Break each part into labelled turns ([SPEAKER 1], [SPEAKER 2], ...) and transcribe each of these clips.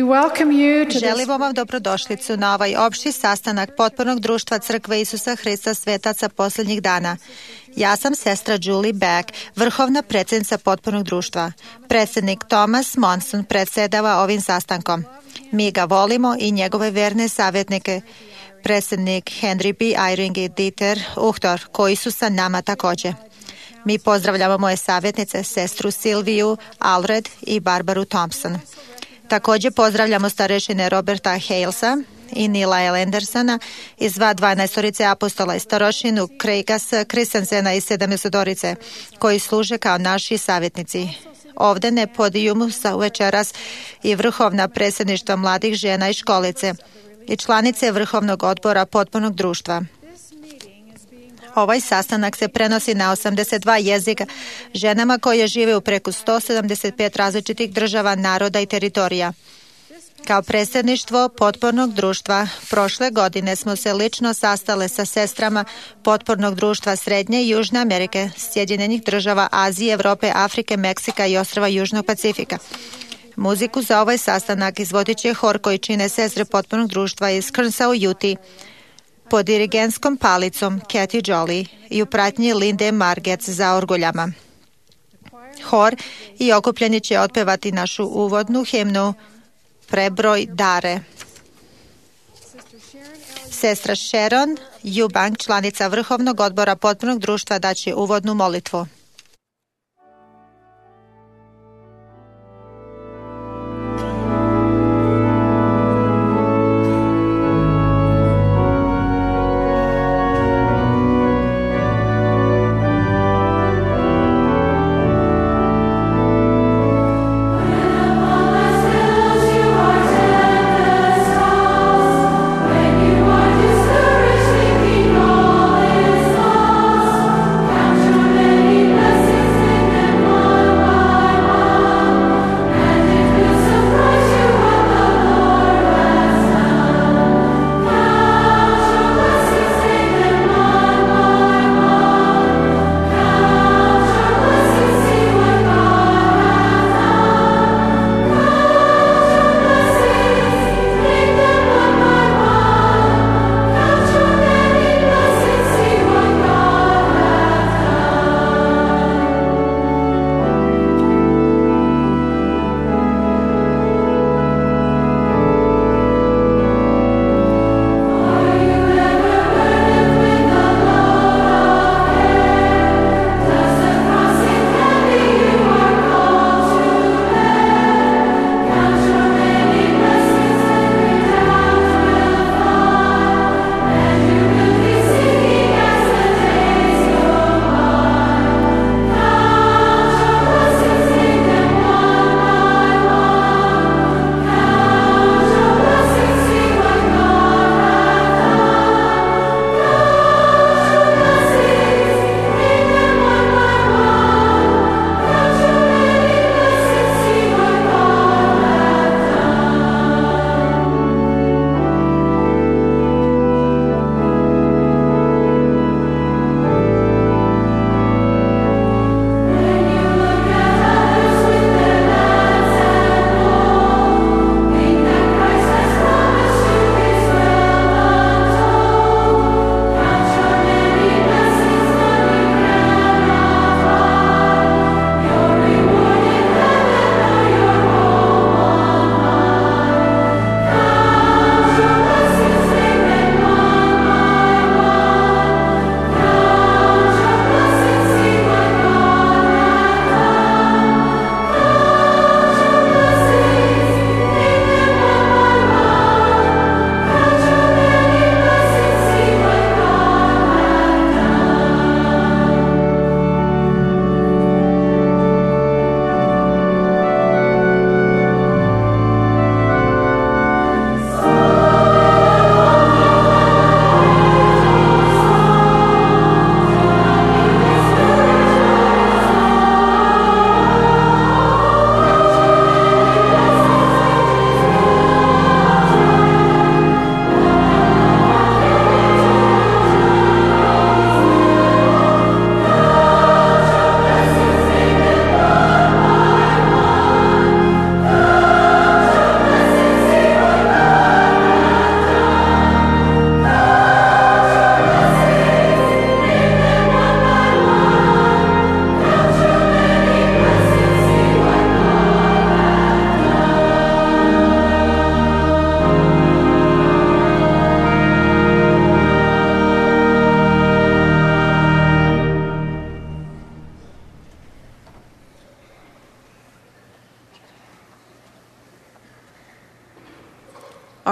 [SPEAKER 1] welcome you to this.
[SPEAKER 2] Želimo vam dobrodošlicu na ovaj opšti sastanak Potpornog društva Crkve Isusa Hrista Svetaca posljednjih dana. Ja sam sestra Julie Beck, vrhovna predsjednica Potpornog društva. Predsjednik Thomas Monson predsjedava ovim sastankom. Mi ga volimo i njegove verne savjetnike, predsjednik Henry B. Eyring i Dieter Uchtdorf, koji su sa nama također. Mi pozdravljamo moje savjetnice, sestru Silviju Alred i Barbaru Thompson. Također pozdravljamo starešine Roberta Halesa i Nila L. Andersona iz 12 apostola i starošinu Craigas Christensena iz 70 koji služe kao naši savjetnici. Ovdje na podijumu sa večeras i vrhovna predsjedništva mladih žena i školice i članice vrhovnog odbora Potpornog društva. Ovaj sastanak se prenosi na 82 jezika ženama koje žive u preko 175 različitih država, naroda i teritorija. Kao predsjedništvo Potpornog društva prošle godine smo se lično sastale sa sestrama Potpornog društva Srednje i Južne Amerike, Sjedinjenih država, Azije, Evrope, Afrike, Meksika i ostrva Južnog Pacifika. Muziku za ovaj sastanak izvodit će hor koji čine sestre Potpornog društva iz Kearnsa u Utah pod dirigentskom palicom Kathy Jolly i u pratnji Linde Margec za orguljama. Hor i okupljeni će otpevati našu uvodnu himnu Prebroj dare. Sestra Sharon Eubank, članica vrhovnog odbora Potpornog društva, daće uvodnu molitvu.
[SPEAKER 3] Many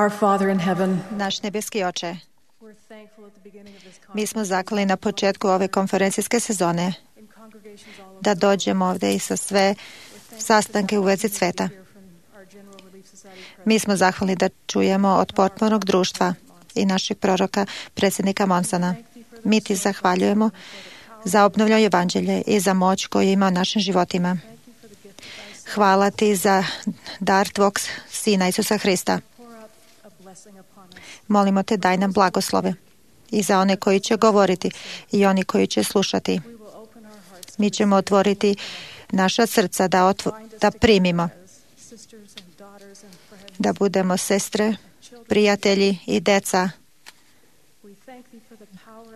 [SPEAKER 1] Our Father in heaven,
[SPEAKER 2] Naš nebeski Oče, mi smo zaklali na početku ove konferencijske sezone da dođemo ovdje i sa sve sastanke u vezi sveta. Mi smo zahvalni da čujemo od potpornog društva i našeg proroka, predsjednika Monsona. Mi ti zahvaljujemo za obnovljeno evanđelje i za moć koju ima u našim životima. Hvala ti za dar tvog Sina Isusa Hrista. Molimo te, daj nam blagoslove i za one koji će govoriti i oni koji će slušati. Mi ćemo otvoriti naša srca da primimo, da budemo sestre, prijatelji i deca.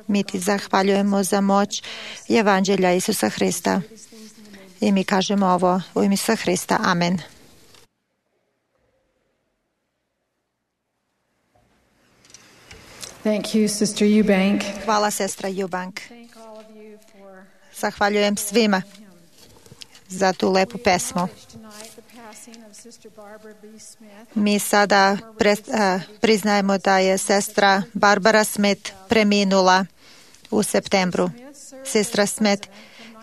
[SPEAKER 2] Mi ti zahvaljujemo za moć evanđelja Isusa Hrista. I mi kažemo ovo u ime Isusa Hrista. Amen.
[SPEAKER 1] thank you, Sister Eubank.
[SPEAKER 2] Hvala, sestra Eubank. Zahvaljujem svima za tu lepu pesmu. Mi sada priznajemo da je sestra Barbara Smith preminula u septembru. Sestra Smith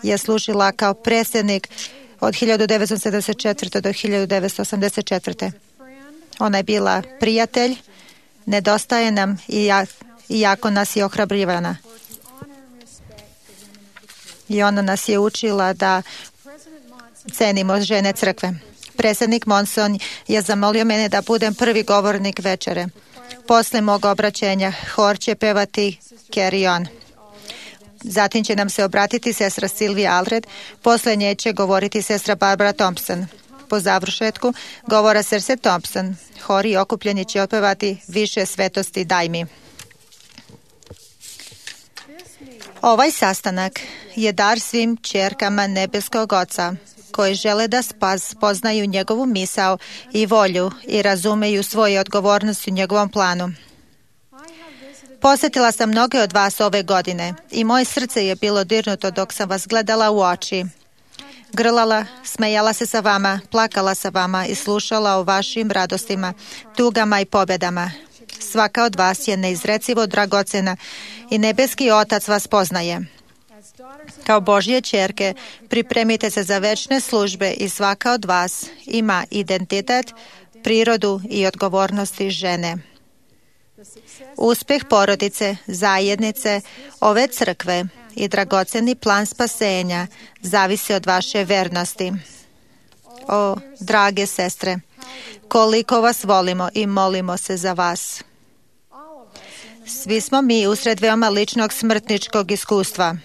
[SPEAKER 2] je služila kao predsjednik od 1974. do 1984. Ona je bila prijatelj, nedostaje nam i jako nas je ohrabrivana. I ona nas je učila da cenimo žene crkve. Predsjednik Monson je zamolio mene da budem prvi govornik večere. Posle mog obraćenja hor će pevati Carry On. Zatim će nam se obratiti sestra Sylvia Allred, posle nje će govoriti sestra Barbara Thompson. Po završetku govora sestre Thompson, hor i okupljeni će otpevati Više svetosti daj mi. Ovaj sastanak je dar svim ćerkama nebeskog Oca, koji žele da poznaju njegovu misao i volju i razumeju svoje odgovornosti u njegovom planu. Posjetila sam mnoge od vas ove godine i moje srce je bilo dirnuto dok sam vas gledala u oči. Grlala, smejala se sa vama, plakala sa vama i slušala o vašim radostima, tugama i pobjedama. Svaka od vas je neizrecivo dragocena i nebeski Otac vas poznaje. Kao Božje ćerke, pripremite se za večne službe i svaka od vas ima identitet, prirodu i odgovornosti žene. Uspjeh porodice, zajednice, ove crkve i dragoceni plan spasenja zavisi od vaše vernosti. O, drage sestre, koliko vas volimo i molimo se za vas. Svi smo mi usred veoma ličnog smrtničkog iskustva.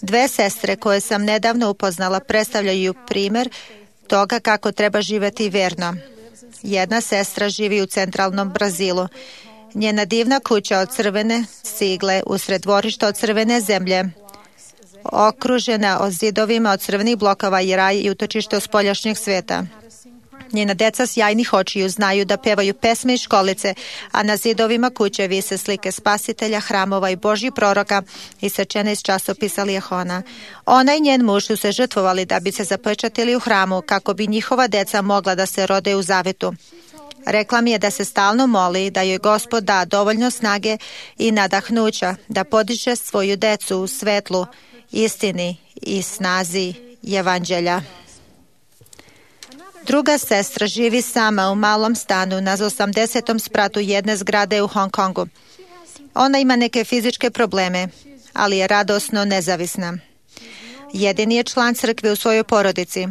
[SPEAKER 2] Dve sestre koje sam nedavno upoznala predstavljaju primjer toga kako treba živjeti verno. Jedna sestra živi u centralnom Brazilu. Njena divna kuća od crvene cigle usred dvorišta od crvene zemlje, okružena od zidovima od crvenih blokova i raj i utočište od spoljašnjeg sveta. Njena deca sjajnih očiju znaju da pevaju pesme i školice, a na zidovima kuće vise slike spasitelja, hramova i Božjih proroka isečene iz časopisa Lijehona. Ona i njen muž su se žrtvovali da bi se zapečatili u hramu kako bi njihova deca mogla da se rode u zavetu. Rekla mi je da se stalno moli da joj Gospod da dovoljno snage i nadahnuća da podiže svoju decu u svetlu, istini i snazi evanđelja. Druga sestra živi sama u malom stanu na 80. spratu jedne zgrade u Hong Kongu. Ona ima neke fizičke probleme, ali je radosno nezavisna. Jedini je član crkve u svojoj porodici.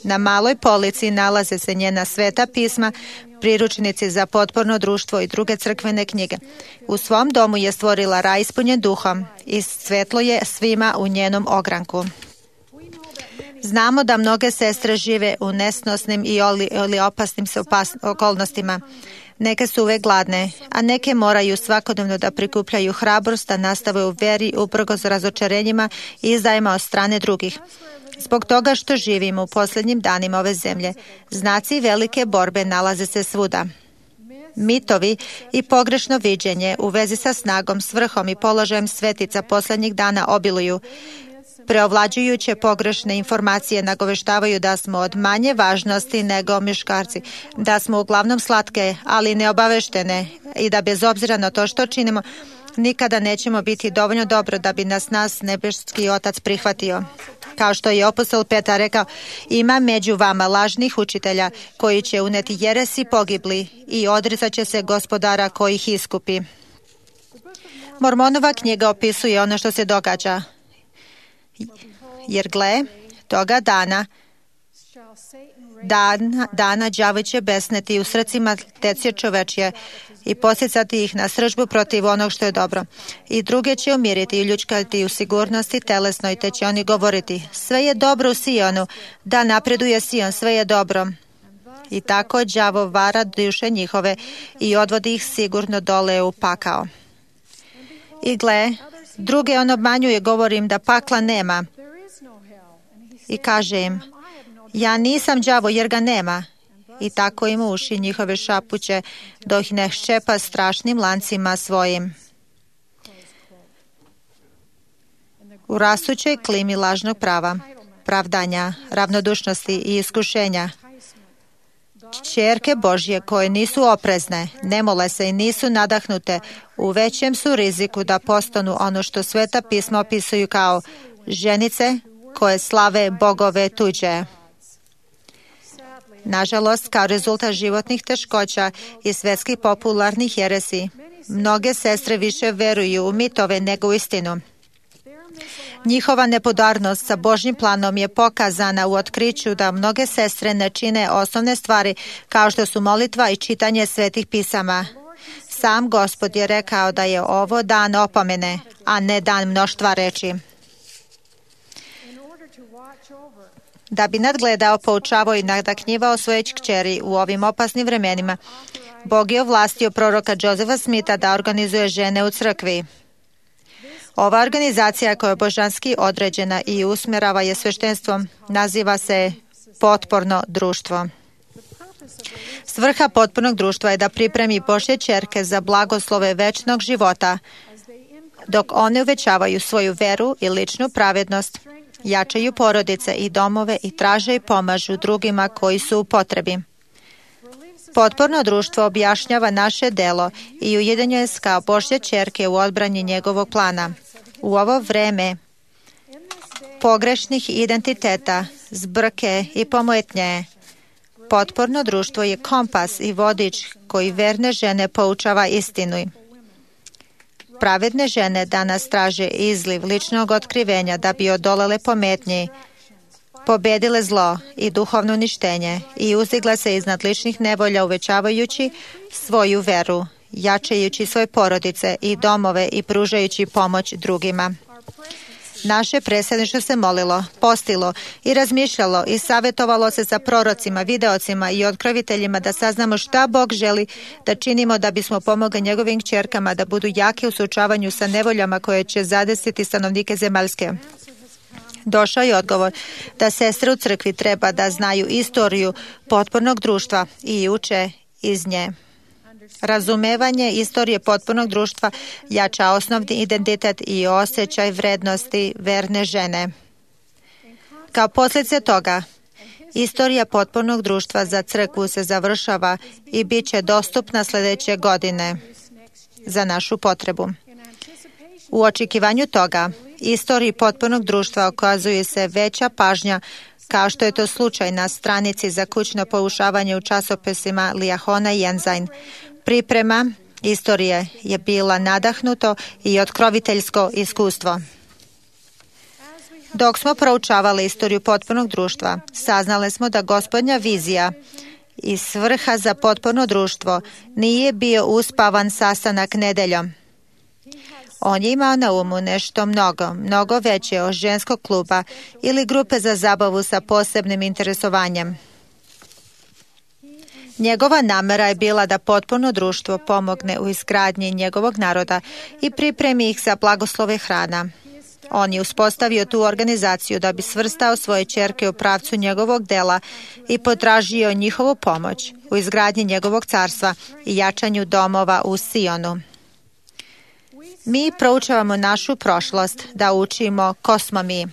[SPEAKER 2] Na maloj polici nalaze se njena sveta pisma, priručnici za potporno društvo i druge crkvene knjige. U svom domu je stvorila raj ispunjen duhom i svetlo je svima u njenom ogranku. Znamo da mnoge sestre žive u nesnosnim ili opasnim okolnostima. Neke su uvek gladne, a neke moraju svakodnevno da prikupljaju hrabrost, da nastave u veri uprkos razočarenjima i izdajima od strane drugih. Zbog toga što živimo u posljednjim danima ove zemlje, znaci velike borbe nalaze se svuda. Mitovi i pogrešno viđenje u vezi sa snagom, svrhom i položajem svetica posljednjih dana obiluju. Preovlađujuće pogrešne informacije nagoveštavaju da smo od manje važnosti nego muškarci, da smo uglavnom slatke, ali neobaveštene i da bez obzira na to što činimo, nikada nećemo biti dovoljno dobro da bi nas nebeski Otac prihvatio. Kao što je apostol Petar rekao, ima među vama lažnih učitelja koji će uneti jeresi pogibli i odricat će se Gospodara koji ih iskupi. Mormonova knjiga opisuje ono što se događa. Jer gle, toga dana đavo će besneti u srcima dece čovečje i posjecati ih na sržbu protiv onog što je dobro. I druge će umiriti i ljučkati u sigurnosti telesnoj, te će oni govoriti, sve je dobro u Sionu, da napreduje Sion, sve je dobro. I tako đavo vara duše njihove i odvodi ih sigurno dole u pakao. I gle, druge on obmanjuje, govorim da pakla nema. I kaže im, ja nisam đavo jer ga nema. I tako im uši njihove šapuće, dok ih ne ščepa strašnim lancima svojim. U rastućoj klimi lažnog prava, pravdanja, ravnodušnosti i iskušenja, ćerke Božje koje nisu oprezne, ne mole se i nisu nadahnute, u većem su riziku da postanu ono što Sveta pisma opisuju kao ženice koje slave bogove tuđe. Nažalost, kao rezultat životnih teškoća i svetskih popularnih jeresi, mnoge sestre više veruju u mitove nego u istinu. Njihova nepodarnost sa Božjim planom je pokazana u otkriću da mnoge sestre ne čine osnovne stvari kao što su molitva i čitanje svetih pisama. Sam Gospod je rekao da je ovo dan opomene, a ne dan mnoštva reči. Da bi nadgledao, poučavao i nadahnjivao svoje kćeri u ovim opasnim vremenima, Bog je ovlastio proroka Josefa Smitha da organizuje žene u crkvi. Ova organizacija koja je božanski određena i usmjerava je sveštenstvom naziva se potporno društvo. Svrha potpornog društva je da pripremi Božje ćerke za blagoslove večnog života, dok one uvećavaju svoju veru i ličnu pravednost, jačaju porodice i domove i traže i pomažu drugima koji su u potrebi. Potporno društvo objašnjava naše delo i ujedinjuje se kao Božje ćerke u odbrani njegovog plana. U ovo vreme pogrešnih identiteta, zbrke i pomojetnje, potporno društvo je kompas i vodič koji verne žene poučava istinu. Pravedne žene danas traže izliv ličnog otkrivenja da bi odolele pometnji, pobedile zlo i duhovno uništenje i uzdigle se iznad ličnih nevolja uvećavajući svoju veru, jačajući svoje porodice i domove i pružajući pomoć drugima. Naše predsjedništvo se molilo, postilo i razmišljalo i savjetovalo se sa prorocima, videocima i otkroviteljima da saznamo šta Bog želi da činimo da bismo pomogli njegovim kćerkama da budu jake u suočavanju sa nevoljama koje će zadesiti stanovnike zemaljske. Došao je odgovor da sestre u crkvi treba da znaju istoriju potpornog društva i uče iz nje. Razumevanje istorije potpornog društva jača osnovni identitet i osjećaj vrednosti verne žene. Kao posljedice toga, istorija potpornog društva za crkvu se završava i bit će dostupna sljedeće godine za našu potrebu. U očekivanju toga, istoriji potpornog društva okazuje se veća pažnja kao što je to slučaj na stranici za kućno poučavanje u časopisima Liahona i Ensign. Priprema istorije je bila nadahnuto i otkroviteljsko iskustvo. Dok smo proučavali istoriju potpornog društva, saznali smo da Gospodnja vizija i svrha za potporno društvo nije bio uspavan sastanak nedeljom. On je imao na umu nešto mnogo veće od ženskog kluba ili grupe za zabavu sa posebnim interesovanjem. Njegova namera je bila da potporno društvo pomogne u izgradnji njegovog naroda i pripremi ih za blagoslove hrana. On je uspostavio tu organizaciju da bi svrstao svoje ćerke u pravcu njegovog dela i potražio njihovu pomoć u izgradnji njegovog carstva i jačanju domova u Sionu. Mi proučavamo našu prošlost da učimo ko smo mi.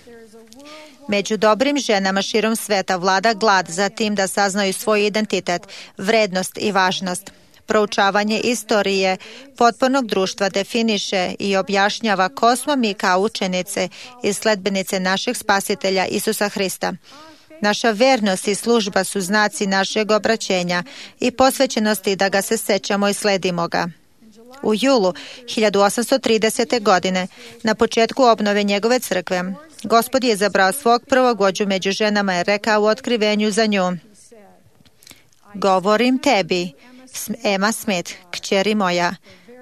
[SPEAKER 2] Među dobrim ženama širom sveta vlada glad za tim da saznaju svoj identitet, vrednost i važnost. Proučavanje istorije potpornog društva definiše i objašnjava ko smo mi kao učenice i sledbenice našeg spasitelja Isusa Hrista. Naša vernost i služba su znaci našeg obraćenja i posvećenosti da ga se sećamo i sledimo ga. U julu 1830. godine, na početku obnove njegove crkve, Gospod je izabrao svog prvog vođu među ženama i rekao u otkrivenju za nju: govorim tebi, Emma Smith, kćeri moja,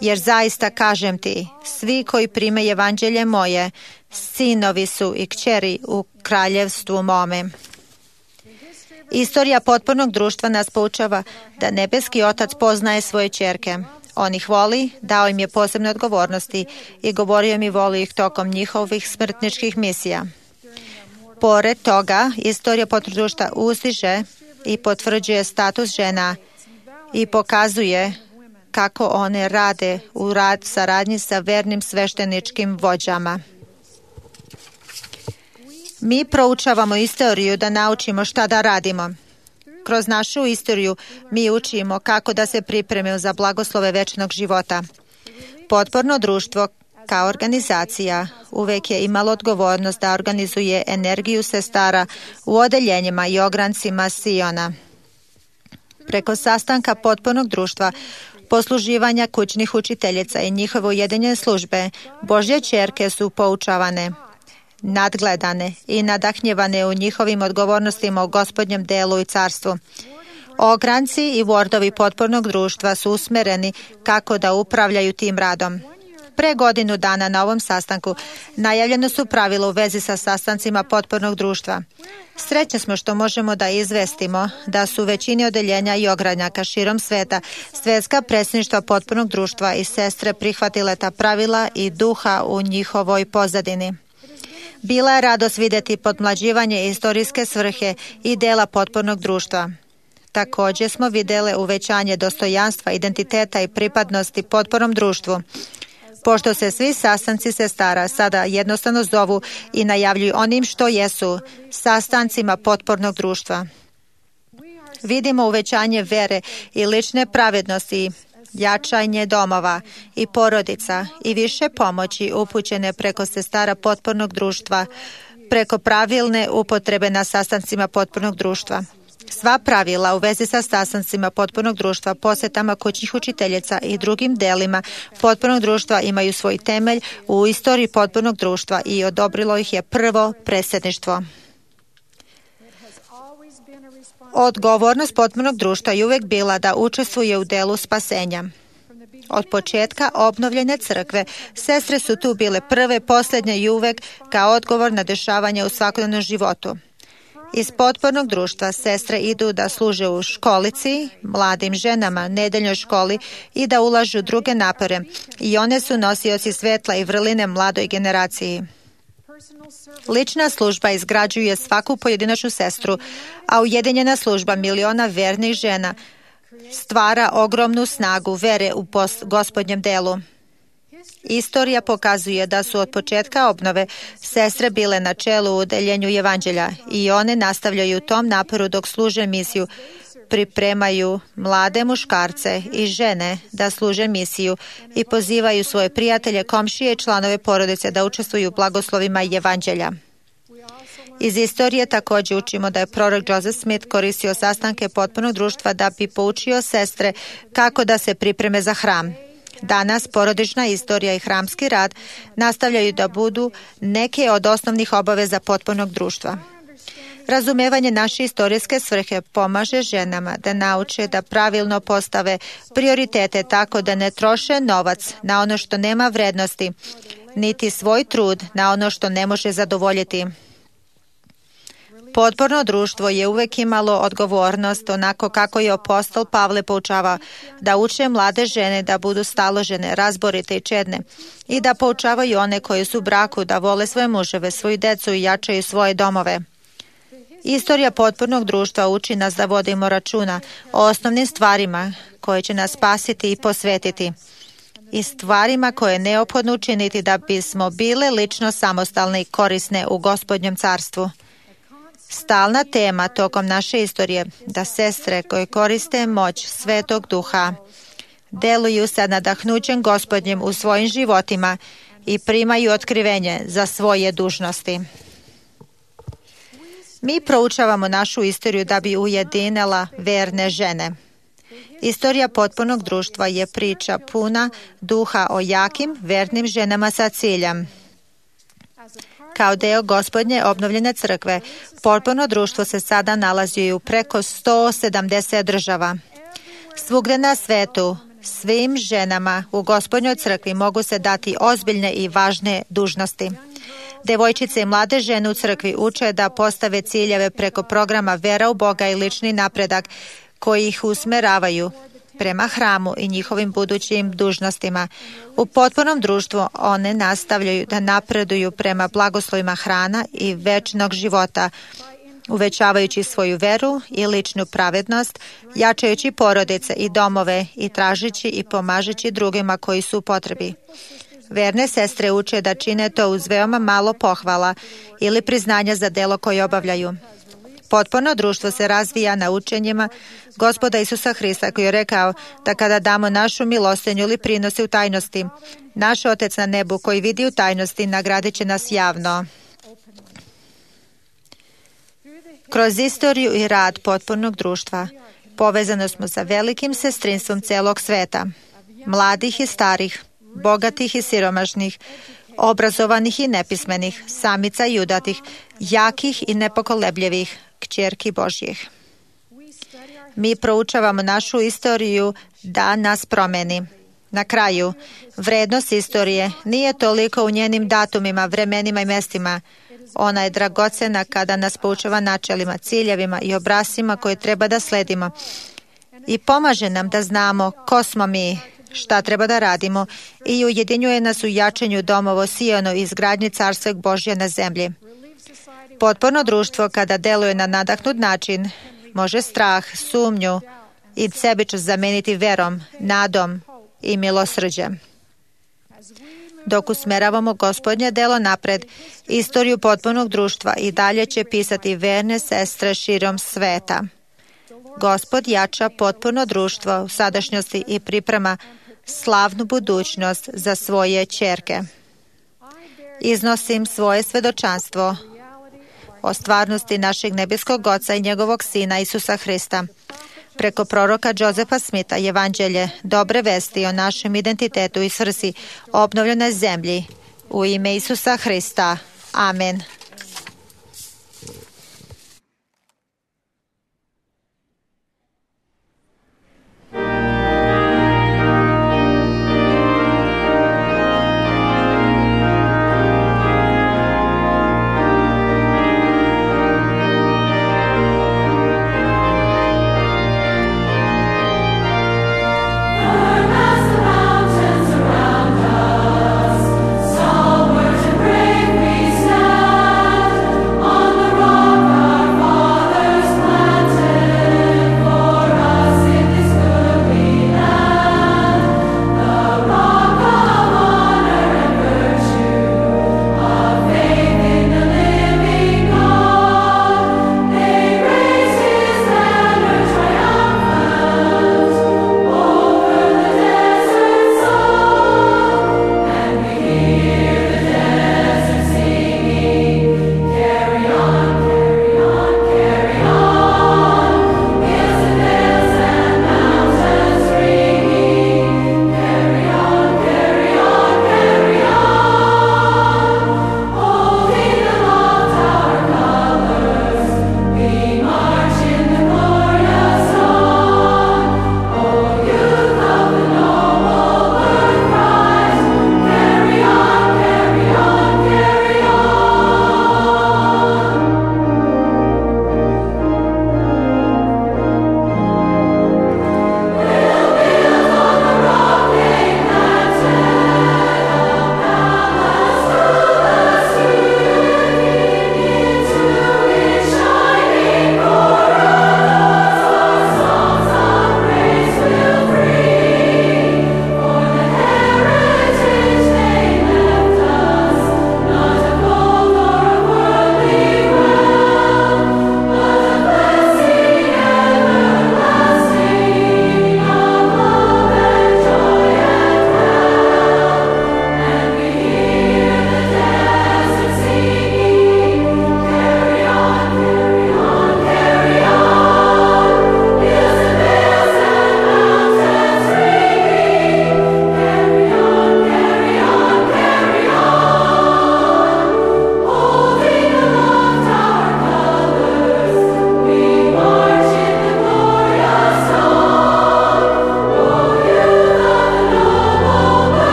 [SPEAKER 2] jer zaista kažem ti, svi koji prime evanđelje moje, sinovi su i kćeri u kraljevstvu mome. Istorija potpornog društva nas poučava da nebeski Otac poznaje svoje ćerke. On ih voli, dao im je posebne odgovornosti i govorio mi voli ih tokom njihovih smrtničkih misija. Pored toga, istorija potpornog društva uzdiže i potvrđuje status žena i pokazuje kako one rade u saradnji sa vernim svešteničkim vođama. Mi proučavamo istoriju da naučimo šta da radimo. Kroz našu istoriju mi učimo kako da se pripremimo za blagoslove večnog života. Potporno društvo kao organizacija uvek je imalo odgovornost da organizuje energiju sestara u odeljenjima i ograncima Siona. Preko sastanka potpornog društva, posluživanja kućnih učiteljica i njihove ujedinjene službe, Božje ćerke su poučavane, nadgledane i nadahnjevane u njihovim odgovornostima u Gospodnjem delu i carstvu. Ogranci i vordovi potpornog društva su usmereni kako da upravljaju tim radom. Pre godinu dana na ovom sastanku najavljeno su pravila u vezi sa sastancima potpornog društva. Srećni smo što možemo da izvestimo da su većini odeljenja i ogranjaka širom sveta svetska predsjedništva potpornog društva i sestre prihvatile ta pravila i duha u njihovoj pozadini. Bila je radost vidjeti podmlađivanje istorijske svrhe i dela potpornog društva. Također smo vidjeli uvećanje dostojanstva, identiteta i pripadnosti potpornom društvu. Pošto se svi sastanci sestara sada jednostavno zovu i najavljuju onim što jesu, sastancima potpornog društva. Vidimo uvećanje vere i lične pravednosti, jačanje domova i porodica i više pomoći upućene preko sestara potpornog društva, preko pravilne upotrebe na sastancima potpornog društva. Sva pravila u vezi sa sastancima potpornog društva, posjetama kućnih učiteljica i drugim delima potpornog društva imaju svoj temelj u istoriji potpornog društva i odobrilo ih je prvo predsjedništvo. Odgovornost potpornog društva je uvijek bila da učestvuje u delu spasenja. Od početka obnovljene crkve, sestre su tu bile prve, posljednje i uvijek kao odgovor na dešavanje u svakodnevnom životu. Iz potpornog društva sestre idu da služe u školici, mladim ženama, nedeljnoj školi i da ulažu druge napore i one su nosioci svetla i vrline mladoj generaciji. Lična služba izgrađuje svaku pojedinačnu sestru, a ujedinjena služba miliona vernih žena stvara ogromnu snagu vere u Gospodnjem delu. Istorija pokazuje da su od početka obnove sestre bile na čelu u udeljenju evanđelja i one nastavljaju u tom naporu dok služe misiju, pripremaju mlade muškarce i žene da služe misiju i pozivaju svoje prijatelje, komšije i članove porodice da učestvuju u blagoslovima evanđelja. Iz istorije također učimo da je prorok Joseph Smith koristio sastanke potpornog društva da bi poučio sestre kako da se pripreme za hram. Danas porodična istorija i hramski rad nastavljaju da budu neke od osnovnih obaveza potpornog društva. Razumevanje naše istorijske svrhe pomaže ženama da nauče da pravilno postave prioritete tako da ne troše novac na ono što nema vrednosti, niti svoj trud na ono što ne može zadovoljiti. Potporno društvo je uvijek imalo odgovornost, onako kako je apostol Pavle poučava, da uče mlade žene da budu staložene, razborite i čedne i da poučavaju one koji su u braku da vole svoje muževe, svoju decu i jačaju svoje domove. Istorija potpornog društva uči nas da vodimo računa o osnovnim stvarima koje će nas spasiti i posvetiti i stvarima koje je neophodno učiniti da bismo bile lično samostalne i korisne u Gospodnjem carstvu. Stalna tema tokom naše istorije da sestre koje koriste moć Svetog Duha deluju sa nadahnućem Gospodnjim u svojim životima i primaju otkrivenje za svoje dužnosti. Mi proučavamo našu istoriju da bi ujedinila verne žene. Istorija potpunog društva je priča puna duha o jakim, vernim ženama sa ciljem. Kao deo Gospodnje obnovljene crkve, potpuno društvo se sada nalazi u preko 170 država. Svugde na svetu, svim ženama u Gospodnjoj crkvi mogu se dati ozbiljne i važne dužnosti. Devojčice i mlade žene u crkvi uče da postave ciljeve preko programa vera u Boga i lični napredak koji ih usmeravaju prema hramu i njihovim budućim dužnostima. U potpunom društvu one nastavljaju da napreduju prema blagoslovima hrana i večnog života, uvećavajući svoju veru i ličnu pravednost, jačajući porodice i domove i tražići i pomažući drugima koji su u potrebi. Verne sestre uče da čine to uz veoma malo pohvala ili priznanja za delo koje obavljaju. Potpuno društvo se razvija na učenjima Gospoda Isusa Hrista koji je rekao da kada damo našu milostinju ili prinose u tajnosti, naš Otec na nebu koji vidi u tajnosti nagradit će nas javno. Kroz istoriju i rad potpunog društva povezano smo sa velikim sestrinstvom celog sveta, mladih i starih, bogatih i siromašnih, obrazovanih i nepismenih, samica i udatih, jakih i nepokolebljivih, kćerki Božjih. Mi proučavamo našu istoriju da nas promeni. Na kraju, vrednost istorije nije toliko u njenim datumima, vremenima i mestima. Ona je dragocena kada nas poučava načelima, ciljevima i obrascima koje treba da sledimo i pomaže nam da znamo ko smo mi, šta treba da radimo i ujedinjuje nas u jačanju domova Sijonu i izgradnji Carstva Božje na zemlji. Potpuno društvo kada deluje na nadahnut način može strah, sumnju i sebičnost zameniti verom, nadom i milosrđem. Dok usmeravamo Gospodnje delo napred, istoriju potpunog društva i dalje će pisati verne sestre širom sveta. Gospod jača potpuno društvo u sadašnjosti i priprema slavnu budućnost za svoje ćerke. Iznosim svoje svedočanstvo o stvarnosti našeg nebeskog Oca i njegovog Sina Isusa Hrista. Preko proroka Josefa Smitha evanđelje dobre vesti o našem identitetu i svrsi obnovljenoj zemlji u ime Isusa Hrista. Amen.
[SPEAKER 3] Stalwart and brave we stand.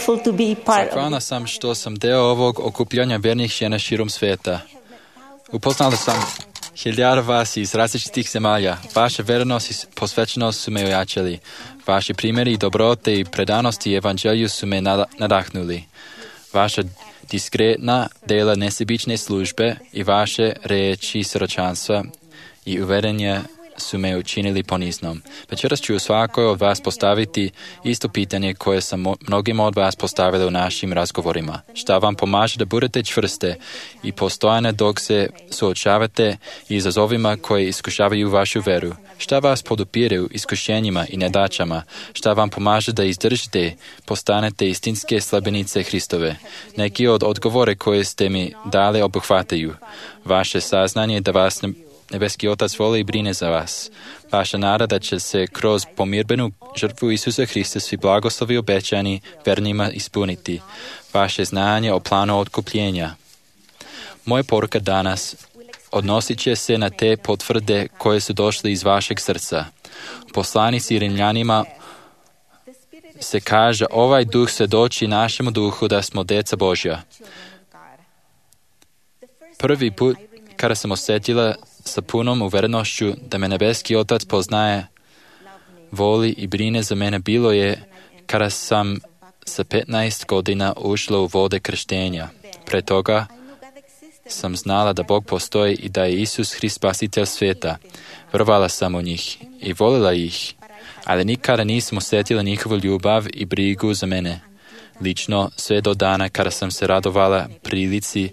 [SPEAKER 3] grateful to be part of
[SPEAKER 4] Zahvalna sam što sam deo ovog okupljanja vernih žena širom svijeta. Upoznala sam hiljada vas iz različitih zemalja. Vaša vernost i posvećenost su me ojačali. Vaši primjeri dobrote i predanosti evanđelju su me nadahnuli. Vaša diskretna dela nesebične službe i vaše riječi siročanstva i uverenja su me učinili poniznom. Večeras ću svakoj od vas postaviti isto pitanje koje sam mnogima od vas postavili u našim razgovorima. Šta vam pomaže da budete čvrste i postojane dok se suočavate izazovima koji iskušavaju vašu veru? Šta vas podupire u iskušenjima i nedaćama? Šta vam pomaže da izdržite, postanete istinske slabenice Hristove? Neki od odgovore koje ste mi dali obuhvataju vaše saznanje da vas Nebeski Otac voli i brine za vas. Vaša nada da će se kroz pomirbenu žrtvu Isusa Hrista svi blagoslovi obećani vernima ispuniti. Vaše znanje o planu otkupljenja. Moja poruka danas odnosit će se na te potvrde koje su došle iz vašeg srca. U poslanici Rimljanima se kaže: ovaj duh svjedoči našemu duhu da smo djeca Božja. Prvi put kada sam osjetila sa punom uverenošću da me Nebeski Otac poznaje, voli i brine za mene bilo je kada sam sa 15 godina ušla u vode krštenja. Pre toga sam znala da Bog postoji i da je Isus Hrist spasitelj svijeta. Vjerovala sam u njih i volila ih, ali nikada nisam osjetila njihovu ljubav i brigu za mene. Lično, sve do dana kada sam se radovala prilici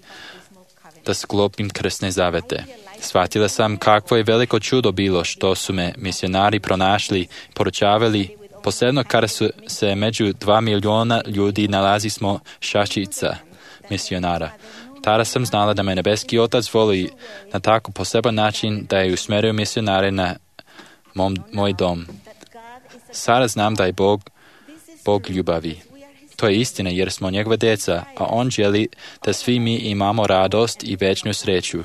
[SPEAKER 4] da sklopim krsne zavete. Shvatila sam kakvo je veliko čudo bilo što su me misionari pronašli, poručavali, posebno kada su se među 2 miliona ljudi nalazi smo šačica misionara. Tada sam znala da me Nebeski Otac voli na tako poseban način da je usmjerio misionare na moj dom. Sada znam da je Bog ljubavi. To je istina jer smo njegova djeca, a On želi da svi mi imamo radost i večnu sreću.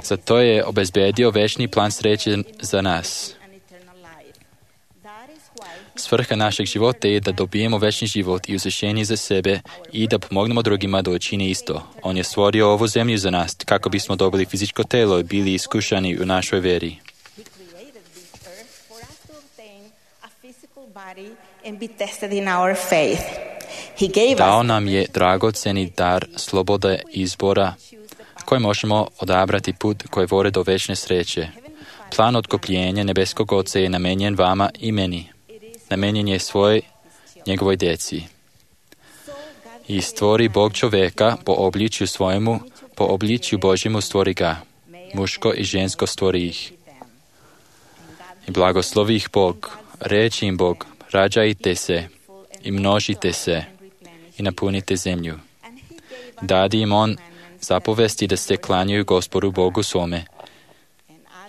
[SPEAKER 4] Zato je obezbedio večni plan sreće za nas. Svrha našeg života je da dobijemo večni život i uzvišenje za sebe i da pomognemo drugima da učini isto. On je stvorio ovu zemlju za nas kako bismo dobili fizičko telo i bili iskušani u našoj veri. Dao nam je dragocjeni dar slobode izbora koji možemo odabrati put koji vode do večne sreće. Plan otkupljenja Nebeskog Oca je namenjen vama i meni. Namenjen je njegovoj djeci. I stvori Bog čovjeka po obličju svojemu, po obličju Božjemu stvori ga. Muško i žensko stvori ih. I blagoslovi ih Bog. Reči im Bog: rađajte se i množite se i napunite zemlju. Dadi im on zapovesti da se klanjaju Gospodu Bogu svome.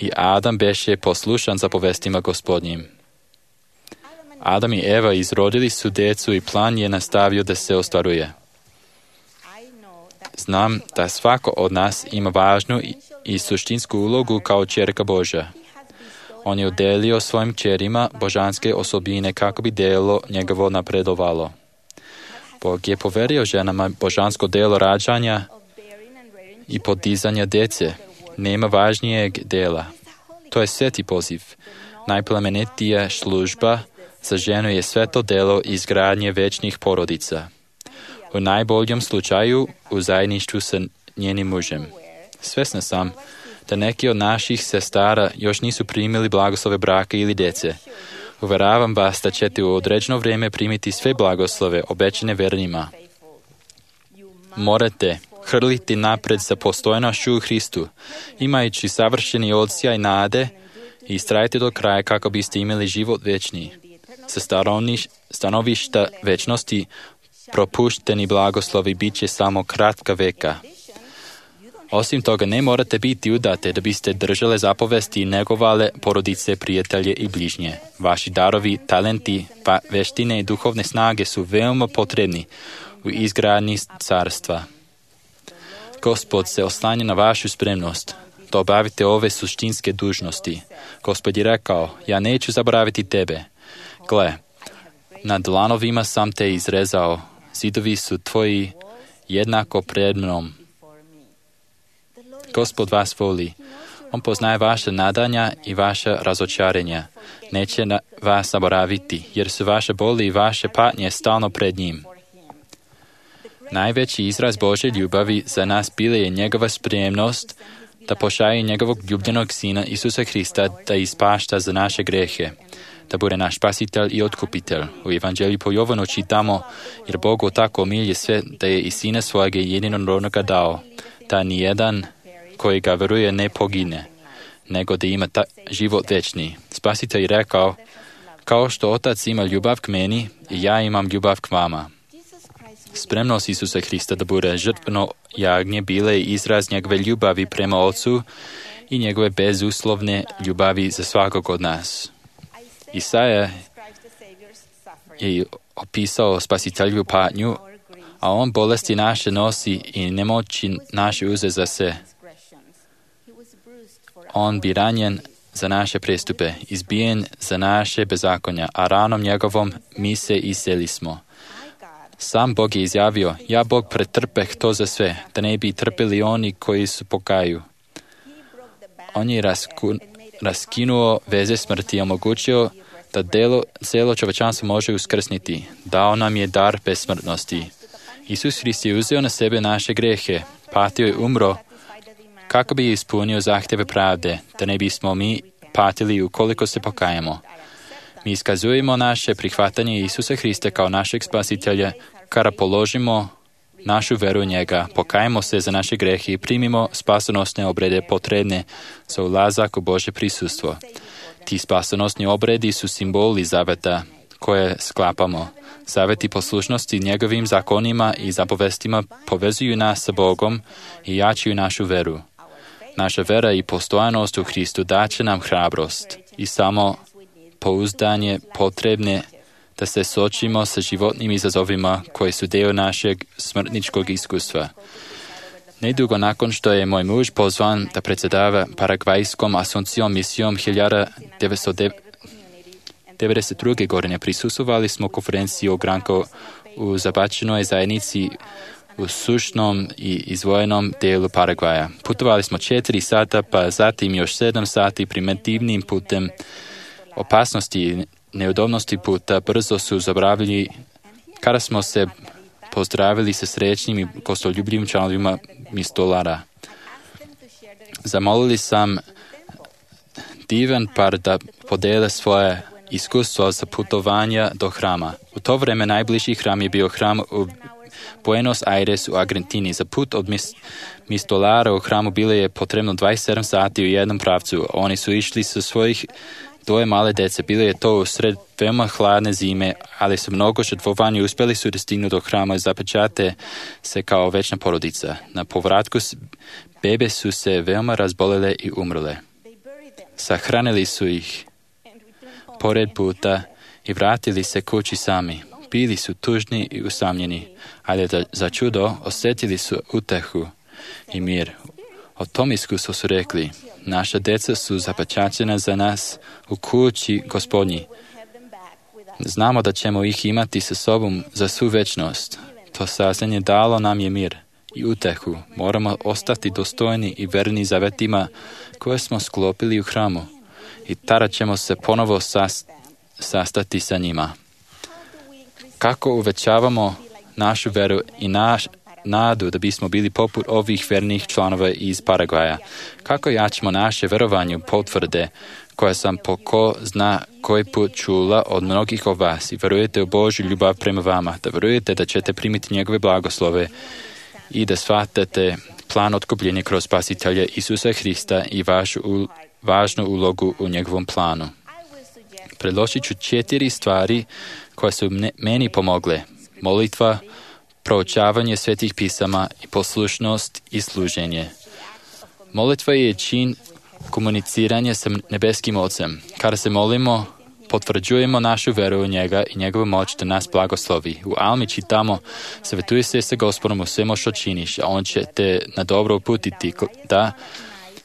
[SPEAKER 4] I Adam beše poslušan zapovestima Gospodnjim. Adam i Eva izrodili su djecu i plan je nastavio da se ostvaruje. Znam da svako od nas ima važnu i suštinsku ulogu kao ćerka Božja. On je udelio svojim kćerima božanske osobine kako bi delo njegovo napredovalo. Bog je poverio ženama božansko delo rađanja i podizanja djece. Nema važnijeg dela. To je sveti poziv. Najplemenitija služba za ženu je sveto delo izgradnje večnih porodica. U najboljem slučaju u zajedništvu sa njenim mužem. Svesna sam da neki od naših sestara još nisu primili blagoslove braka ili djece. Uveravam vas da ćete u određeno vrijeme primiti sve blagoslove obećane vernima. Morate hrliti napred za postojnošću u Hristu, imajući savršeni odsjaj nade i istrajte do kraja kako biste imali život večni. Sa stanovišta večnosti propušteni blagoslovi bit će samo kratka veka. Osim toga, ne morate biti udate da biste držale zapovesti i negovale porodice, prijatelje i bližnje. Vaši darovi, talenti, veštine i duhovne snage su veoma potrebni u izgradnji carstva. Gospod se oslanja na vašu spremnost da obavite ove suštinske dužnosti. Gospod je rekao: ja neću zaboraviti tebe. Gle, Na dlanovima sam te izrezao, zidovi su tvoji jednako pred mnom. Gospod vas voli. On poznaje vaše nadanja i vaše razočarenja. Neće vas zaboraviti, jer su vaše boli i vaše patnje stalno pred njim. Najveći izraz Božje ljubavi za nas bila je njegova spremnost da pošalje njegovog ljubljenog Sina Isusa Hrista da ispašta za naše grehe, da bude naš spasitelj i otkupitelj. U Evanđelju po Jovanu čitamo, jer Bog tako milje sve da je i Sina svojega jedinorodnoga dao, da nijedan koji ga veruje ne pogine, nego da ima život večni. Spasitelj je rekao, kao što Otac ima ljubav k meni, i ja imam ljubav k vama. Spremnost Isusa Hrista da bude žrtveno jagnje bile izraz njegove ljubavi prema Otcu i njegove bezuslovne ljubavi za svakog od nas. Isaja je opisao spasitelju patnju, a on bolesti naše nosi i nemoći naše uze za se. On bi ranjen za naše prestupe, izbijen za naše bezakonja, a ranom njegovom mi se iseli smo. Sam Bog je izjavio, ja Bog pretrpeh to za sve, da ne bi trpeli oni koji su pokaju. On je raskinuo veze smrti i omogućio da cijelo čovječanstvo može uskrsniti. Dao nam je dar besmrtnosti. Isus Hrist je uzeo na sebe naše grehe, patio i umro, kako bi ispunio zahtjeve pravde, da ne bismo mi patili ukoliko se pokajemo. Mi iskazujemo naše prihvatanje Isusa Hrista kao našeg spasitelja, kada položimo našu veru u njega, pokajemo se za naše grehe i primimo spasonosne obrede potrebne za ulazak u Božje prisustvo. Ti spasonosni obredi su simboli zaveta koje sklapamo. Zaveti poslušnosti njegovim zakonima i zapovestima povezuju nas sa Bogom i jačaju našu veru. Naša vera i postojanost u Hristu daće nam hrabrost i samo pouzdanje potrebne da se suočimo sa životnim izazovima koji su dio našeg smrtničkog iskustva. Nedugo nakon što je moj muž pozvan da predsjedava Paragvajskom Asuncijom misijom 1992. godine, prisustvovali smo konferenciji o Granko u zabačenoj zajednici u sušnom i izdvojenom dijelu Paragvaja. Putovali smo 4 sata, pa zatim još 7 sati primitivnim putem. Opasnosti i neudobnosti puta brzo su zabravili kada smo se pozdravili sa srećnim i gostoljubljivim članovima mistolara. Zamolili sam divan par da podele svoje iskustvo za putovanja do hrama. U to vrijeme najbliži hram je bio hram u Buenos Aires u Argentini. Za put od mistolara u hramu bilo je potrebno 27 sati u jednom pravcu. Oni su išli sa svojih 2 male dece. Bilo je to u sred veoma hladne zime, ali su mnogo žrtvovanja uspjeli su da stignu do hrama i zapečate se kao večna porodica. Na povratku bebe su se veoma razbolele i umrle. Sahranili su ih pored puta i vratili se kući sami. Bili su tužni i usamljeni, ali za čudo osjetili su utehu i mir. O tom iskustvu su rekli, naša deca su zapečaćena za nas u kući Gospodnji. Znamo da ćemo ih imati sa sobom za svu večnost. To saznanje dalo nam je mir i utehu. Moramo ostati dostojni i verni zavetima koje smo sklopili u hramu. I tada ćemo se ponovo sastati sa njima. Kako uvećavamo našu veru i nadu da bismo bili poput ovih vernih članova iz Paragvaja? Kako jačamo naše verovanje potvrde koje sam po ko zna koji put čula od mnogih od vas i verujete u Božju ljubav prema vama, da verujete da ćete primiti njegove blagoslove i da shvatate plan otkupljenja kroz spasitelja Isusa Hrista i vašu važnu ulogu u njegovom planu. Predložit ću 4 stvari koje su meni pomogle. Molitva, proučavanje svetih pisama i poslušnost i služenje. Molitva je čin komuniciranja sa nebeskim Ocem. Kada se molimo, potvrđujemo našu veru u njega i njegovu moć da nas blagoslovi. U Almi čitamo, savjetuj se sa Gospodom u svemu što činiš, a on će te na dobro uputiti da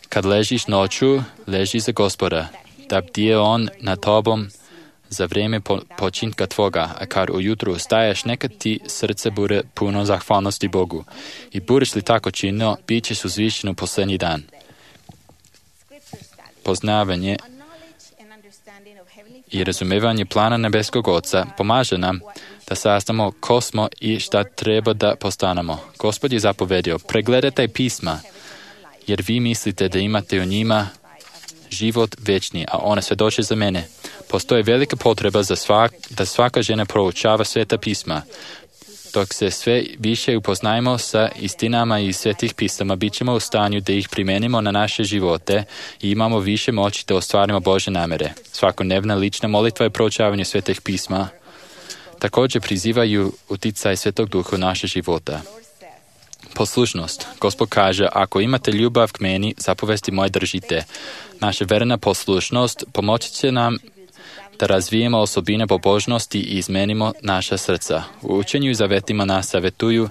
[SPEAKER 4] kad ležiš noću, leži za Gospoda, da bdije on nad tobom za vrijeme počinka tvoga, a kad ujutru staješ, neka ti srce bude puno zahvalnosti Bogu. I budeš li tako činio, bit ćeš uzvišen u posljednji dan. Poznavanje i razumevanje plana nebeskog Oca pomaže nam da saznamo ko smo i šta treba da postanemo. Gospod je zapovedio, pregledajte pisma, jer vi mislite da imate u njima život večni, a one svjedoče za mene. Postoji velika potreba da svaka žena proučava sveta pisma. Dok se sve više upoznajemo sa istinama iz svetih pisama, bit ćemo u stanju da ih primenimo na naše živote i imamo više moći da ostvarimo Božje namere. Svakodnevna lična molitva i proučavanje svetih pisma također prizivaju uticaj Svetog Duha u naše života. Poslušnost. Gospod kaže, ako imate ljubav k meni, zapovesti moje držite. Naša verna poslušnost pomoći će nam da razvijemo osobine pobožnosti i izmenimo naša srca. U učenju i zavetima nas savjetuju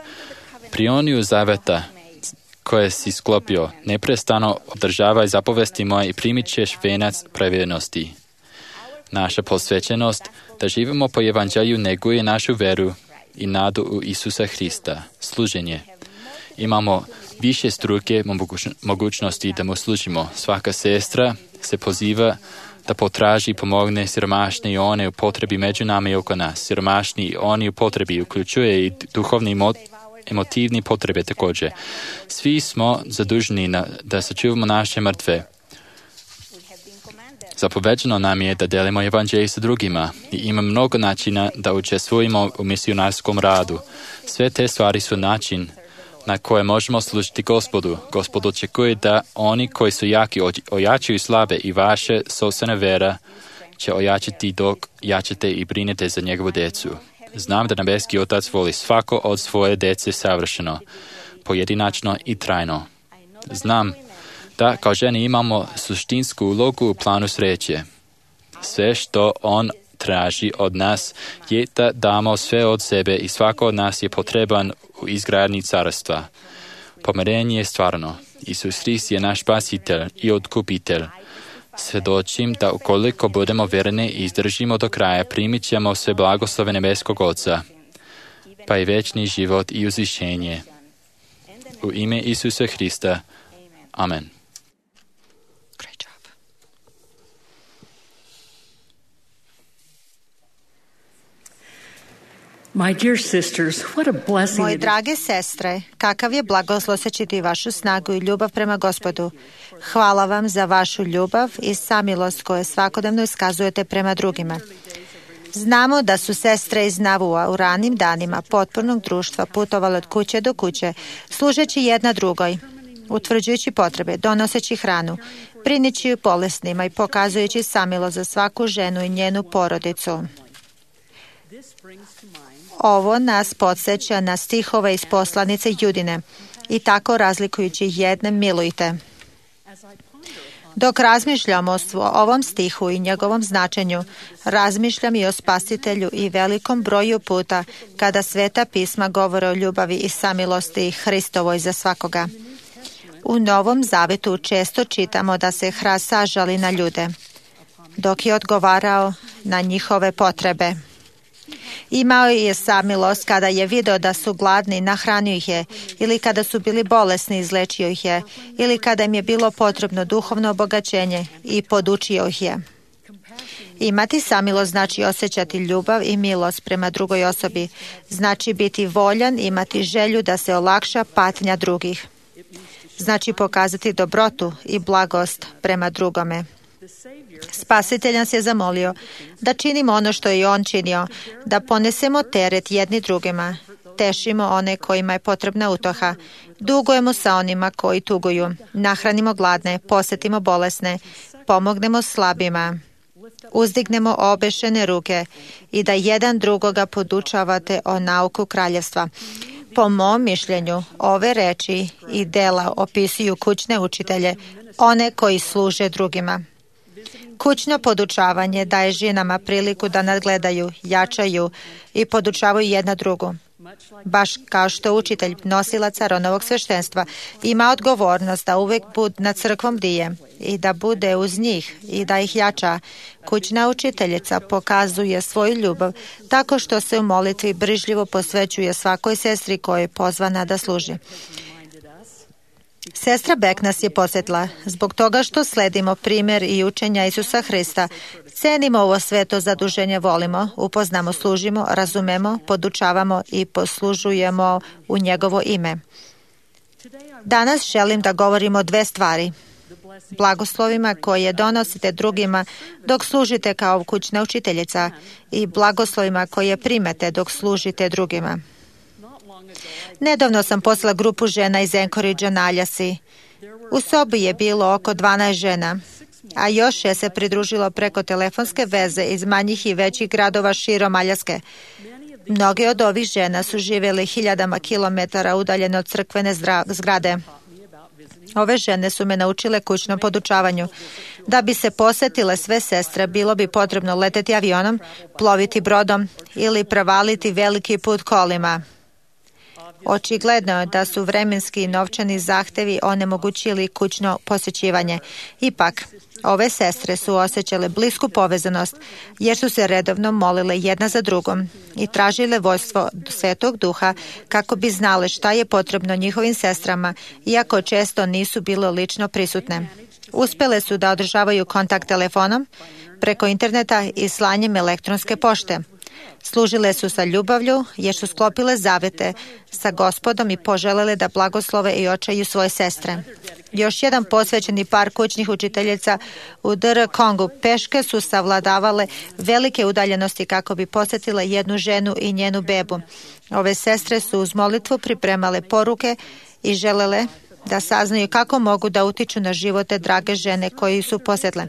[SPEAKER 4] prioniju zaveta koje si sklopio. Neprestano održavaj zapovesti moje i primit ćeš venac pravednosti. Naša posvećenost da živimo po evanđelju neguje našu veru i nadu u Isusa Hrista. Služenje. Imamo više struke mogućnosti da mu služimo. Svaka sestra se poziva da potraži i pomogne siromašni i one u potrebi među nama i oko nas. Siromašni i oni u potrebi uključuje i duhovni i emotivni potrebe također. Svi smo zaduženi da sačuvamo naše mrtve. Zapoveđeno nam je da delimo evanđelje sa drugima i ima mnogo načina da učestvujemo u misionarskom radu. Sve te stvari su način na koje možemo služiti Gospodu. Gospod očekuje da oni koji su jaki ojačaju slabe i vaše sopstvena vera će ojačati dok jačate i brinete za njegovu djecu. Znam da nebeski Otac voli svako od svoje djece savršeno, pojedinačno i trajno. Znam da kao žene imamo suštinsku ulogu u planu sreće. Sve što on traži od nas je da damo sve od sebe i svako od nas je potreban u izgradnji carstva. Pomirenje je stvarno. Isus Hrist je naš spasitelj i otkupitelj. Svjedočim da ukoliko budemo verni i izdržimo do kraja, primit ćemo sve blagoslove nebeskog Oca, pa i večni život i uzvišenje. U ime Isusa Hrista. Amen.
[SPEAKER 3] My dear sisters, what a blessing
[SPEAKER 2] Moje
[SPEAKER 3] it is.
[SPEAKER 2] drage sestre, kakav je blagoslov osjećati vašu snagu i ljubav prema Gospodu. Hvala vam za vašu ljubav i samilost koju svakodnevno iskazujete prema drugima. Znamo da su sestre iz Navua u ranim danima potpornog društva putovale od kuće do kuće, služeći jedna drugoj, utvrđujući potrebe, donoseći hranu, brineći bolesnima i pokazujući samilost za svaku ženu i njenu porodicu. Ovo nas podsjeća na stihove iz poslanice Judine i tako razlikujući jedne milujte. Dok razmišljam o ovom stihu i njegovom značenju, razmišljam i o Spasitelju i velikom broju puta kada Sveta pisma govore o ljubavi i samilosti Hristovoj za svakoga. U Novom Zavetu često čitamo da se Hrast sažali na ljude, dok je odgovarao na njihove potrebe. Imao je samilost kada je video da su gladni, nahranio ih je, ili kada su bili bolesni, izlečio ih je, ili kada im je bilo potrebno duhovno obogaćenje i podučio ih je. Imati samilost znači osjećati ljubav i milost prema drugoj osobi, znači biti voljan, imati želju da se olakša patnja drugih. Znači pokazati dobrotu i blagost prema drugome. Spasitelj nas je zamolio da činimo ono što je on činio, da ponesemo teret jedni drugima, tešimo one kojima je potrebna utoha, dugujemo sa onima koji tuguju, nahranimo gladne, posjetimo bolesne, pomognemo slabima, uzdignemo obešene ruke i da jedan drugoga podučavate o nauku kraljevstva. Po mom mišljenju, ove reči i dela opisuju kućne učitelje, one koji služe drugima. Kućno podučavanje daje ženama priliku da nadgledaju, jačaju i podučavaju jedna drugu. Baš kao što učitelj nosilac Aronovog sveštenstva ima odgovornost da uvek nad crkvom bdije i da bude uz njih i da ih jača, kućna učiteljica pokazuje svoju ljubav tako što se u molitvi brižljivo posvećuje svakoj sestri koja je pozvana da služi. Sestra Beck nas je posjetila zbog toga što sledimo primjer i učenja Isusa Hrista. Cenimo ovo sveto zaduženje, volimo, upoznamo, služimo, razumemo, podučavamo i poslužujemo u njegovo ime. Danas želim da govorimo o dve stvari. Blagoslovima koje donosite drugima dok služite kao kućna učiteljica i blagoslovima koje primete dok služite drugima. Nedavno sam poslala grupu žena iz Anchorage na Aljasi. U sobi je bilo oko 12 žena, a još je se pridružilo preko telefonske veze iz manjih i većih gradova širom Aljaske. Mnoge od ovih žena su živjeli hiljadama kilometara udaljeno od crkvene zgrade. Ove žene su me naučile kućnom podučavanju. Da bi se posjetile sve sestre, bilo bi potrebno leteti avionom, ploviti brodom ili prevaliti veliki put kolima. Očigledno je da su vremenski i novčani zahtevi onemogućili kućno posjećivanje. Ipak, ove sestre su osjećale blisku povezanost jer su se redovno molile jedna za drugom i tražile vojstvo Svetog Duha kako bi znale šta je potrebno njihovim sestrama, iako često nisu bile lično prisutne. Uspjele su da održavaju kontakt telefonom, preko interneta i slanjem elektronske pošte. Služile su sa ljubavlju jer su sklopile zavete sa Gospodom i poželele da blagoslove i očaju svoje sestre. Još jedan posvećeni par kućnih učiteljica u DR Kongu peške su savladavale velike udaljenosti kako bi posjetile jednu ženu i njenu bebu. Ove sestre su uz molitvu pripremale poruke i želele da saznaju kako mogu da utiču na živote drage žene koji su posjetile.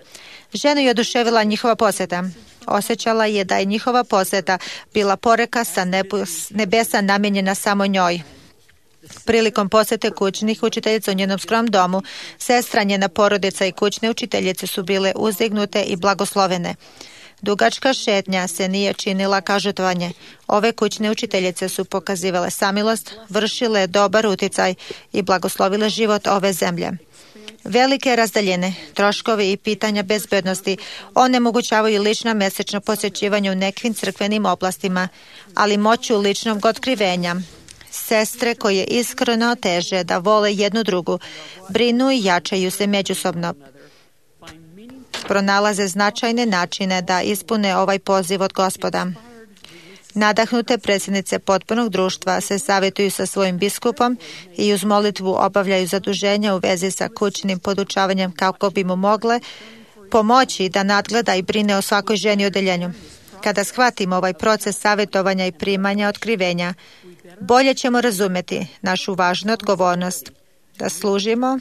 [SPEAKER 2] Ženu je oduševila njihova posjeta. Osjećala je da je njihova posjeta bila poreka sa nebesa namijenjena samo njoj. Prilikom posjete kućnih učiteljica u njenom skromnom domu, sestra, njena porodica i kućne učiteljice su bile uzdignute i blagoslovene. Dugačka šetnja se nije činila kao žrtvovanje. Ove kućne učiteljice su pokazivale samilost, vršile dobar uticaj i blagoslovile život ove zemlje. Velike razdaljine, troškovi i pitanja bezbednosti onemogućavaju lično mesečno posjećivanje u nekim crkvenim oblastima, ali moću ličnog otkrivenja. Sestre koje iskreno teže da vole jednu drugu, brinu i jačaju se međusobno. Pronalaze značajne načine da ispune ovaj poziv od Gospoda. Nadahnute predsjednice potpunog društva se savjetuju sa svojim biskupom i uz molitvu obavljaju zaduženja u vezi sa kućnim podučavanjem kako bi mu mogle pomoći da nadgleda i brine o svakoj ženi u odeljenju. Kada shvatimo ovaj proces savjetovanja i primanja otkrivenja, bolje ćemo razumjeti našu važnu odgovornost da služimo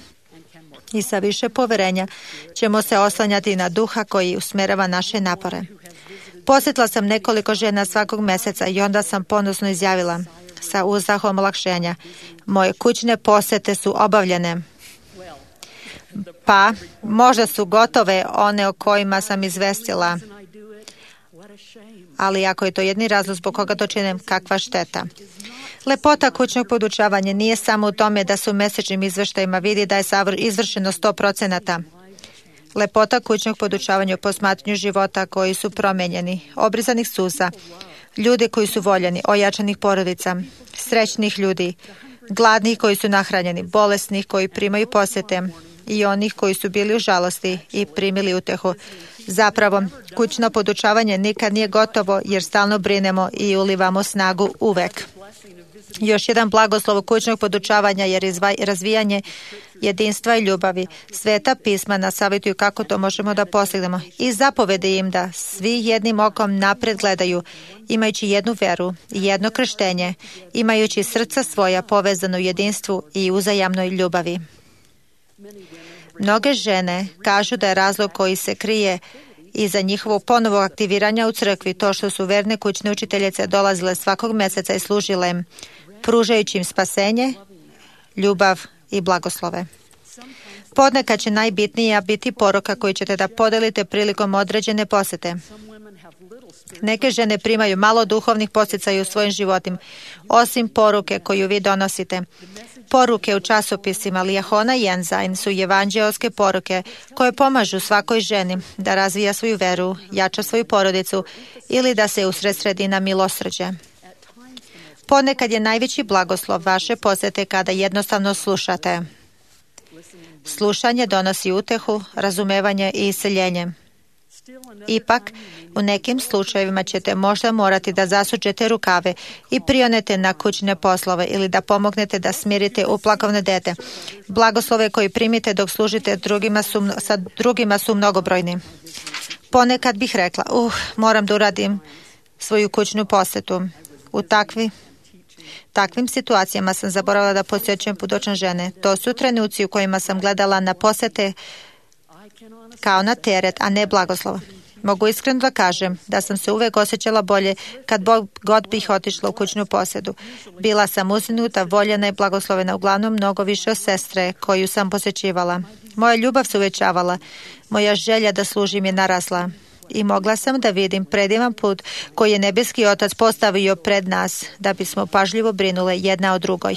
[SPEAKER 2] i sa više poverenja ćemo se oslanjati na Duha koji usmjerava naše napore. Posjetila sam nekoliko žena svakog mjeseca i onda sam ponosno izjavila sa uzdahom olakšenja: moje kućne posjete su obavljene. Pa, možda su gotove one o kojima sam izvestila, ali ako je to jedni razlog zbog koga to činim, kakva šteta. Lepota kućnog podučavanja nije samo u tome da se u mjesečnim izveštajima vidi da je izvršeno 100%. Lepota kućnog podučavanja u posmatranju života koji su promenjeni, obrizanih suza, ljudi koji su voljeni, ojačanih porodica, srećnih ljudi, gladnih koji su nahranjeni, bolesnih koji primaju posjete i onih koji su bili u žalosti i primili utehu. Zapravo, kućno podučavanje nikad nije gotovo jer stalno brinemo i ulivamo snagu uvek. Još jedan blagoslov kućnog podučavanja je razvijanje jedinstva i ljubavi. Sveta pisma nas savjetuju kako to možemo da postignemo i zapovede im da svi jednim okom napred gledaju, imajući jednu veru i jedno krštenje, imajući srca svoja povezano u jedinstvu i uzajamnoj ljubavi. Mnoge žene kažu da je razlog koji se krije iza njihovog ponovog aktiviranja u crkvi to što su verne kućne učiteljice dolazile svakog mjeseca i služile im, pružajući im spasenje, ljubav i blagoslove. Ponekad će najbitnija biti poruka koju ćete da podelite prilikom određene posete. Neke žene primaju malo duhovnih podsticaja u svojim životima, osim poruke koju vi donosite. Poruke u časopisima Liahona i Ensign su evanđeoske poruke koje pomažu svakoj ženi da razvija svoju veru, jača svoju porodicu ili da se usredsredi na milosrđe. Ponekad je najveći blagoslov vaše posete kada jednostavno slušate. Slušanje donosi utehu, razumevanje i isceljenje. Ipak, u nekim slučajevima ćete možda morati da zasučete rukave i prionete na kućne poslove ili da pomognete da smirite uplakovne dete. Blagoslove koji primite dok služite sa drugima su mnogobrojni. Ponekad bih rekla, moram da uradim svoju kućnu posetu. U takvim situacijama sam zaboravila da posjećujem pudočne žene. To su trenuci u kojima sam gledala na posete kao na teret, a ne blagoslov. Mogu iskreno da kažem da sam se uvek osjećala bolje kad god bih otišla u kućnu posetu. Bila sam uzdinuta, voljena i blagoslovena, uglavnom mnogo više od sestre koju sam posjećivala. Moja ljubav se uvećavala, moja želja da služim je narasla. I mogla sam da vidim predivan put koji je nebeski Otac postavio pred nas da bismo pažljivo brinule jedna o drugoj.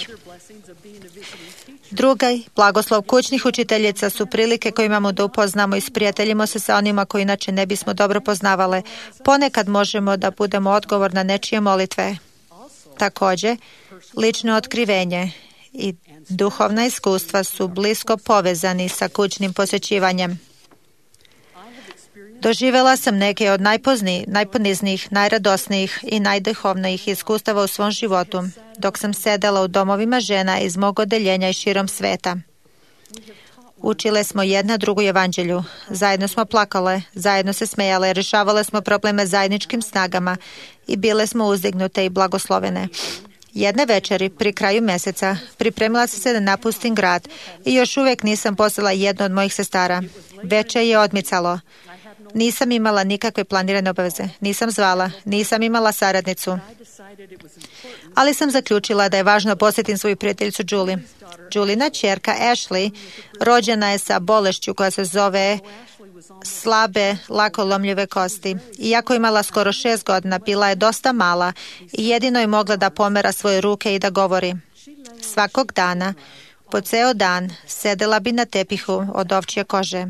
[SPEAKER 2] Drugi blagoslov kućnih učiteljica su prilike koje imamo da upoznamo i sprijateljimo se sa onima koji inače ne bismo dobro poznavale. Ponekad možemo da budemo odgovor na nečije molitve. Također, lično otkrivenje i duhovna iskustva su blisko povezani sa kućnim posjećivanjem. Doživjela sam neke od najponiznijih, najradosnijih i najduhovnijih iskustava u svom životu, dok sam sedela u domovima žena iz mog odeljenja i širom sveta. Učile smo jedna drugu evanđelju, zajedno smo plakale, zajedno se smejale, rješavale smo probleme zajedničkim snagama i bile smo uzdignute i blagoslovene. Jedne večeri, pri kraju mjeseca, pripremila sam se da napustim grad i još uvijek nisam poslala jednu od mojih sestara. Večer je odmicalo. Nisam imala nikakve planirane obaveze. Nisam zvala, nisam imala saradnicu. Ali sam zaključila da je važno posjetiti svoju prijateljicu Julie. Julina ćerka Ashley rođena je sa bolešću koja se zove slabe, lako lomljive kosti. Iako je imala skoro 6 godina, bila je dosta mala i jedino je mogla da pomera svoje ruke i da govori. Svakog dana, po ceo dan, sedela bi na tepihu od ovčje kože.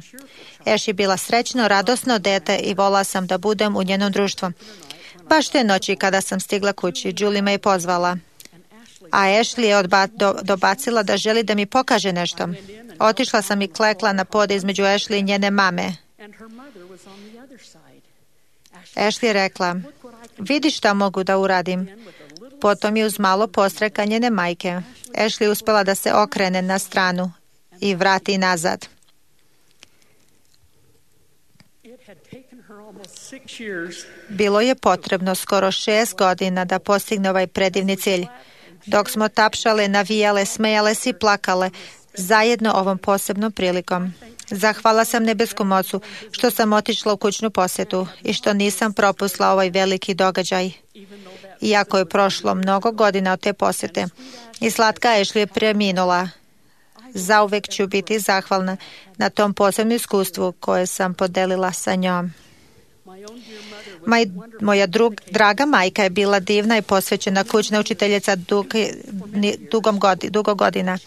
[SPEAKER 2] Ash je bila srećno, radosno dete i volala sam da budem u njenom društvu. Baš te noći kada sam stigla kući, Julie me je pozvala. A Ashley je dobacila da želi da mi pokaže nešto. Otišla sam i klekla na pod između Ashley i njene mame. Ashley je rekla, vidi šta mogu da uradim. Potom je uz malo postreka njene majke. Ashley uspela da se okrene na stranu i vrati nazad. Bilo je potrebno skoro 6 godina da postigne ovaj predivni cilj. Dok smo tapšale, navijale, smejale se i plakale, zajedno ovom posebnom prilikom. Zahvala sam nebeskom Ocu što sam otišla u kućnu posjetu i što nisam propustila ovaj veliki događaj. Iako je prošlo mnogo godina od te posjete i slatka Ashley je preminula, zauvek ću biti zahvalna na tom posebnom iskustvu koje sam podelila sa njom. Moja draga majka je bila divna i posvećena kućna učiteljica dugo godina.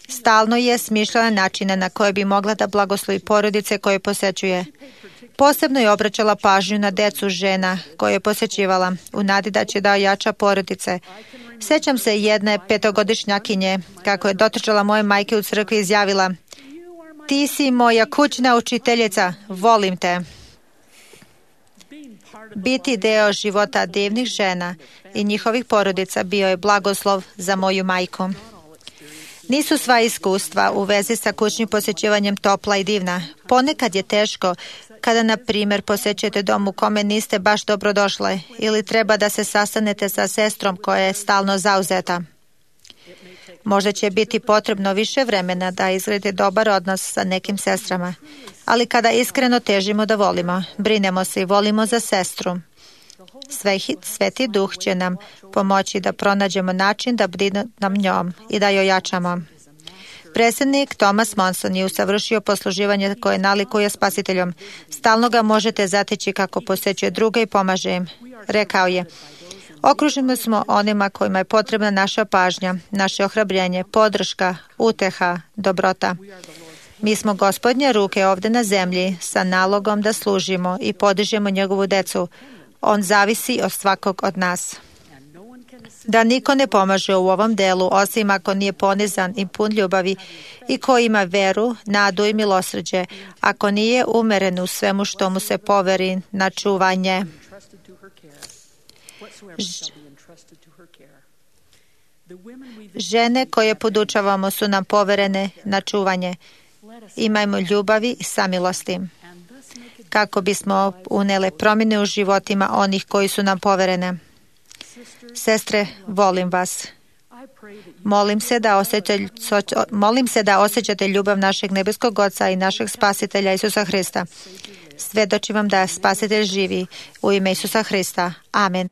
[SPEAKER 2] Stalno je smišljala načine na koje bi mogla da blagoslovi porodice koje posjećuje. Posebno je obraćala pažnju na decu žena koje je posjećivala, u nadi da će da ojača porodice. Sjećam se jedne 5-godišnjakinje, kako je dotrčala moje majke u crkvi i izjavila, ti si moja kućna učiteljica, volim te. Biti deo života divnih žena i njihovih porodica bio je blagoslov za moju majku. Nisu sva iskustva u vezi sa kućnim posjećivanjem topla i divna. Ponekad je teško kada, na primjer, posjećujete dom u kome niste baš dobro došle ili treba da se sastanete sa sestrom koja je stalno zauzeta. Možda će biti potrebno više vremena da izgradite dobar odnos sa nekim sestrama, ali kada iskreno težimo da volimo, brinemo se i volimo za sestru, Sveti Duh će nam pomoći da pronađemo način da brinemo njom i da joj ojačamo. Predsjednik Thomas Monson je usavršio posluživanje koje nalikuje spasiteljom. Stalno ga možete zateći kako posjećuje druge i pomaže im. Rekao je: okruženi smo onima kojima je potrebna naša pažnja, naše ohrabrenje, podrška, uteha, dobrota. Mi smo Gospodnje ruke ovdje na zemlji sa nalogom da služimo i podižemo njegovu decu. On zavisi od svakog od nas. Da niko ne pomaže u ovom delu osim ako nije ponizan i pun ljubavi i ko ima veru, nadu i milosrđe, ako nije umeren u svemu što mu se poveri na čuvanje. Žene koje podučavamo su nam poverene na čuvanje. Imajmo ljubavi i samilosti, kako bismo unele promjene u životima onih koji su nam poverene. Sestre, volim vas. Molim se da osjećate ljubav našeg nebeskog Oca i našeg Spasitelja Isusa Hrista. Svjedočim vam da Spasitelj živi u ime Isusa Hrista. Amen.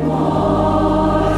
[SPEAKER 5] More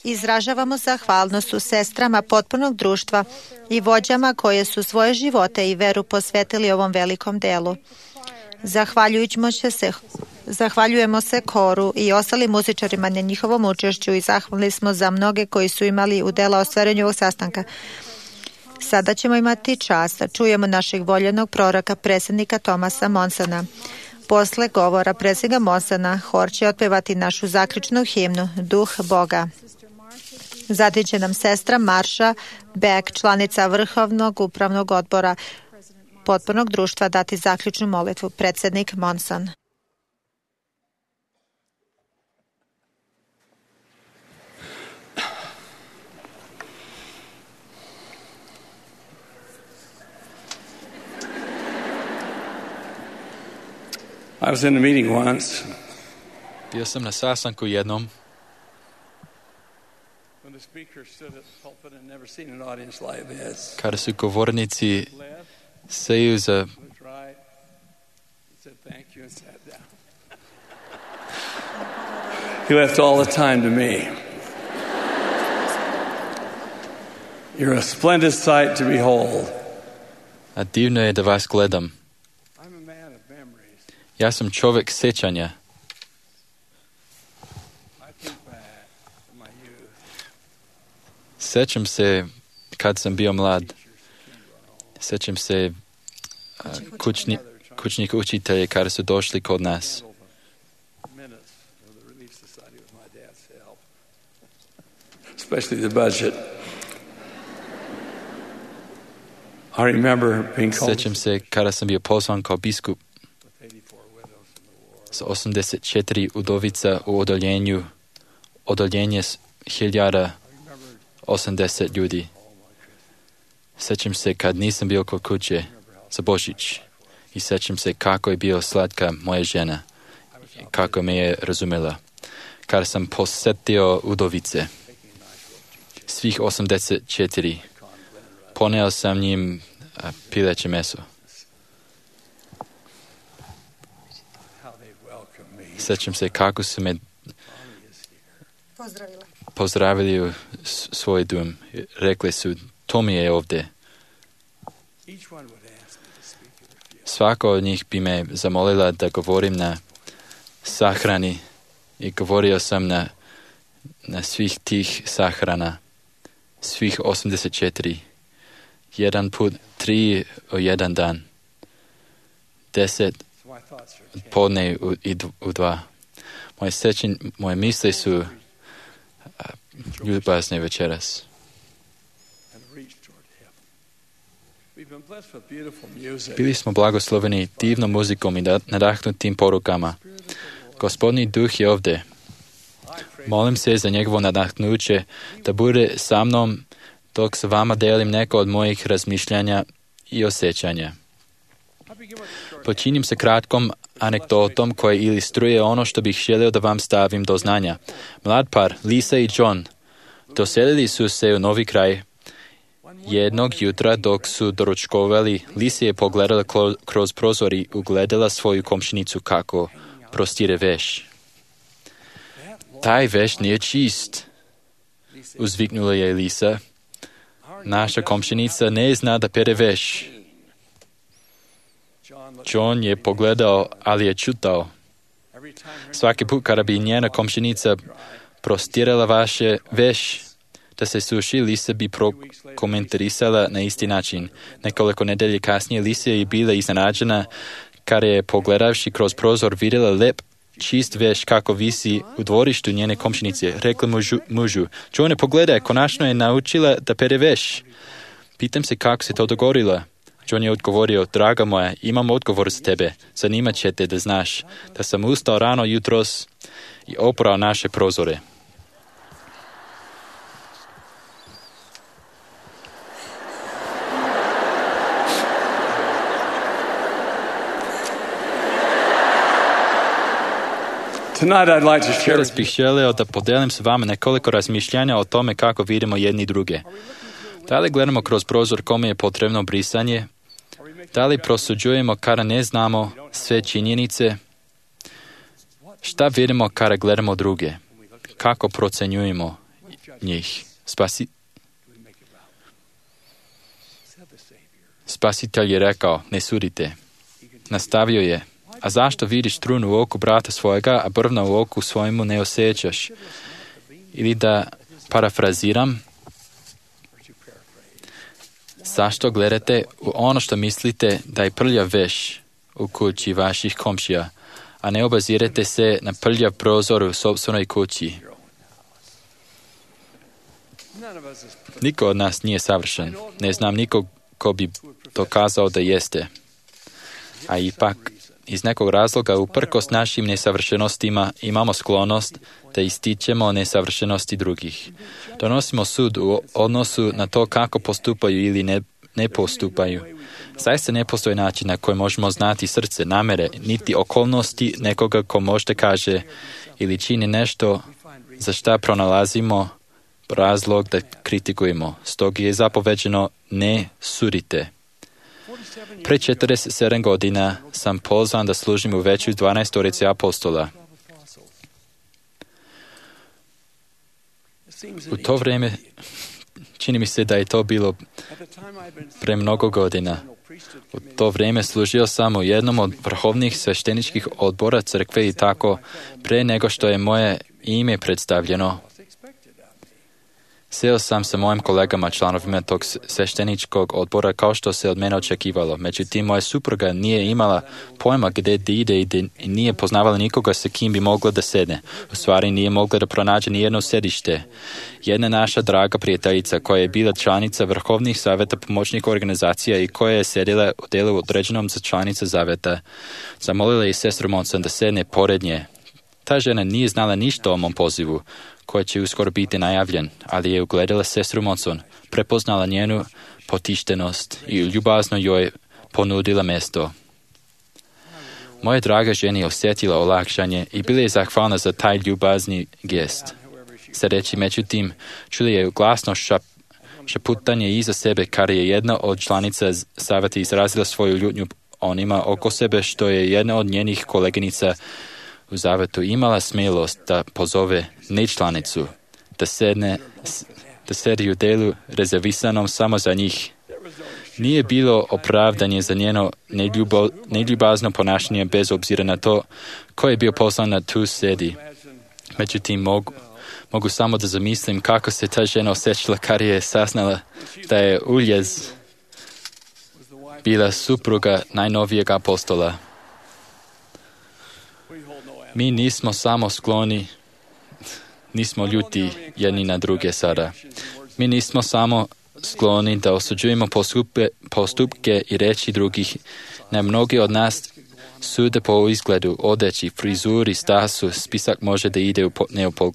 [SPEAKER 2] Izražavamo zahvalnost u sestrama potpunog društva i vođama koje su svoje živote i veru posvetili ovom velikom delu. Zahvaljujemo se koru i ostalim muzičarima na njihovom učešću i zahvalni smo za mnoge koji su imali udjela u ostvarenju ovog sastanka. Sada ćemo imati čast da čujemo našeg voljenog proroka, predsjednika Thomasa Monsona. Posle govora predsjednika Monsona, hor će otpevati našu zaključnu himnu Duh Boga. Zatim će nam sestra Marsha Beck, članica Vrhovnog upravnog odbora potpornog društva, dati zaključnu molitvu. Predsjednik Monson.
[SPEAKER 5] I was in a meeting once.
[SPEAKER 4] Bio sam na sastanku jednom
[SPEAKER 5] When the speaker stood at the pulpit and never seen an audience like this.
[SPEAKER 4] kada su govornici seju za
[SPEAKER 5] Looked right, said thank you and sat down. He left all the time to me. You're a splendid sight to behold.
[SPEAKER 4] a divno je da vas gledam.
[SPEAKER 5] I'm a man of memories.
[SPEAKER 4] Ja sam čovjek sjećanja.
[SPEAKER 5] I think back to my youth.
[SPEAKER 4] Sjećam se kad sam bio mlad. Sjećam se kućnih učitelja kada su došli kod nas.
[SPEAKER 5] Minutes of the Relief Society with my dad's help, especially the budget. I remember being called
[SPEAKER 4] Sjećam se kada sam bio pozvan kao biskup
[SPEAKER 5] with 84 widows in the war.
[SPEAKER 4] s 84 udovica u odoljenje 1080 ljudi. Sjećam se kad nisam bio kod kuće za Božić i sjećam se kako je bio slatka moja žena i kako me je razumjela. Kada sam posjetio udovice, svih 84, poneo sam njim pileće meso.
[SPEAKER 5] How they welcomed me.
[SPEAKER 4] Sjećam se kako su me pozdravili u svoj dom. Rekli su, Tomi je ovdje.
[SPEAKER 5] Each one would ask me to speak at a funeral.
[SPEAKER 4] Svako od njih bi me zamolila da govorim na sahrani i govorio sam na svih tih sahrana, svih 84. Jedan put, 3 u jedan dan, 10
[SPEAKER 5] So my thoughts are changed.
[SPEAKER 4] podne u 2. Moje misli su ljubazne večeras.
[SPEAKER 5] And reach toward heaven. We've been blessed with beautiful music.
[SPEAKER 4] Bili smo blagosloveni divnom muzikom i nadahnutim porukama. Gospodni duh je ovdje. Molim se za njegovo nadahnuće da bude sa mnom dok s vama delim neko od mojih razmišljanja i osjećanja. Počinim se kratkom anegdotom koja ilustruje ono što bih želio da vam stavim do znanja. Mlad par, Lisa i John, doselili su se u novi kraj. Jednog jutra dok su doručkovali, Lisa je pogledala kroz prozor i ugledala svoju komšinicu kako prostire veš. Taj veš nije čist, uzviknula je Lisa. Naša komšinica ne zna da pere veš. John je pogledao, ali je čutao. Svaki put kada bi njena komšinica prostirala vaše veš da se suši, Lisa bi prokomentarisala na isti način. Nekoliko nedelje kasnije Lisa je bila iznenađena kada je pogledavši kroz prozor vidjela lep čist veš kako visi u dvorištu njene komšinice. Rekla mužu, Johne, pogledaj, konačno je naučila da pere veš. Pitam se kako se to dogodilo. John je odgovorio, draga moja, imam odgovor za tebe. Zanimat će te da znaš da sam ustao rano jutros i oprao naše prozore.
[SPEAKER 5] Tonight I'd like to share
[SPEAKER 4] Večeras bih želeo da podelim s vama nekoliko razmišljanja o tome kako vidimo jedni druge. Da li gledamo kroz prozor kome je potrebno brisanje? Da li prosuđujemo kada ne znamo sve činjenice? Šta vidimo kada gledamo druge? kako procenjujemo njih. Spasitelj je rekao, ne sudite. Nastavio je, a zašto vidiš trunu u oku brata svojega, a brvna u oku svojemu ne osjećaš? Ili da parafraziram, zašto gledate u ono što mislite da je prljav veš u kući vaših komšija, a ne obazirete se na prljav prozor u sopstvenoj kući? Niko od nas nije savršen. Ne znam nikog ko bi dokazao da jeste. A ipak, iz nekog razloga, uprkos našim nesavršenostima, imamo sklonost da ističemo nesavršenosti drugih. Donosimo sud u odnosu na to kako postupaju ili ne postupaju. Zaista ne postoji način na koji možemo znati srce, namere, niti okolnosti nekoga ko možda kaže ili čini nešto za šta pronalazimo razlog da kritikujemo. Stoga je zapoveđeno ne sudite. Pre 47 godina sam pozvan da služim u veću 12 apostola. U to vrijeme čini mi se da je to bilo pre mnogo godina. U to vrijeme služio sam u jednom od vrhovnih svešteničkih odbora crkve i tako pre nego što je moje ime predstavljeno. Seo sam sa mojim kolegama, članovima tog svešteničkog odbora, kao što se od mene očekivalo. Međutim, moja supruga nije imala pojma gdje ide i nije poznavala nikoga sa kim bi mogla da sedne. U stvari nije mogla da pronađe nijedno sedište. Jedna naša draga prijateljica, koja je bila članica vrhovnih savjeta pomoćnih organizacija i koja je sedila u delu određenom za članica zaveta, zamolila je sestru Monson da sedne pored nje. Ta žena nije znala ništa o mom pozivu, koji će uskoro biti najavljen, ali je ugledala sestru Monson, prepoznala njenu potištenost i ljubazno joj ponudila mjesto. Moja draga žena je osjetila olakšanje i bila je zahvalna za taj ljubazni gest. Sedeći međutim, čuli je glasno šaputanje iza sebe, kar je jedna od članica savjeta izrazila svoju ljutnju onima oko sebe, što je jedna od njenih koleginica u zavetu imala smjelost da pozove nečlanicu, da sedi u delu rezervisanom samo za njih. Nije bilo opravdanje za njeno neljubazno ponašanje bez obzira na to ko je bio poslan na tu sedi. Međutim, mogu samo da zamislim kako se ta žena osjećala kad je saznala da je Uljez bila supruga najnovijeg apostola. Mi nismo samo skloni, nismo ljuti jedni na druge sada. Mi nismo samo skloni da osuđujemo postupke i reči drugih. Ne, mnogi od nas sude po izgledu, odeći, frizuri, stasu, spisak može da ide u neopol.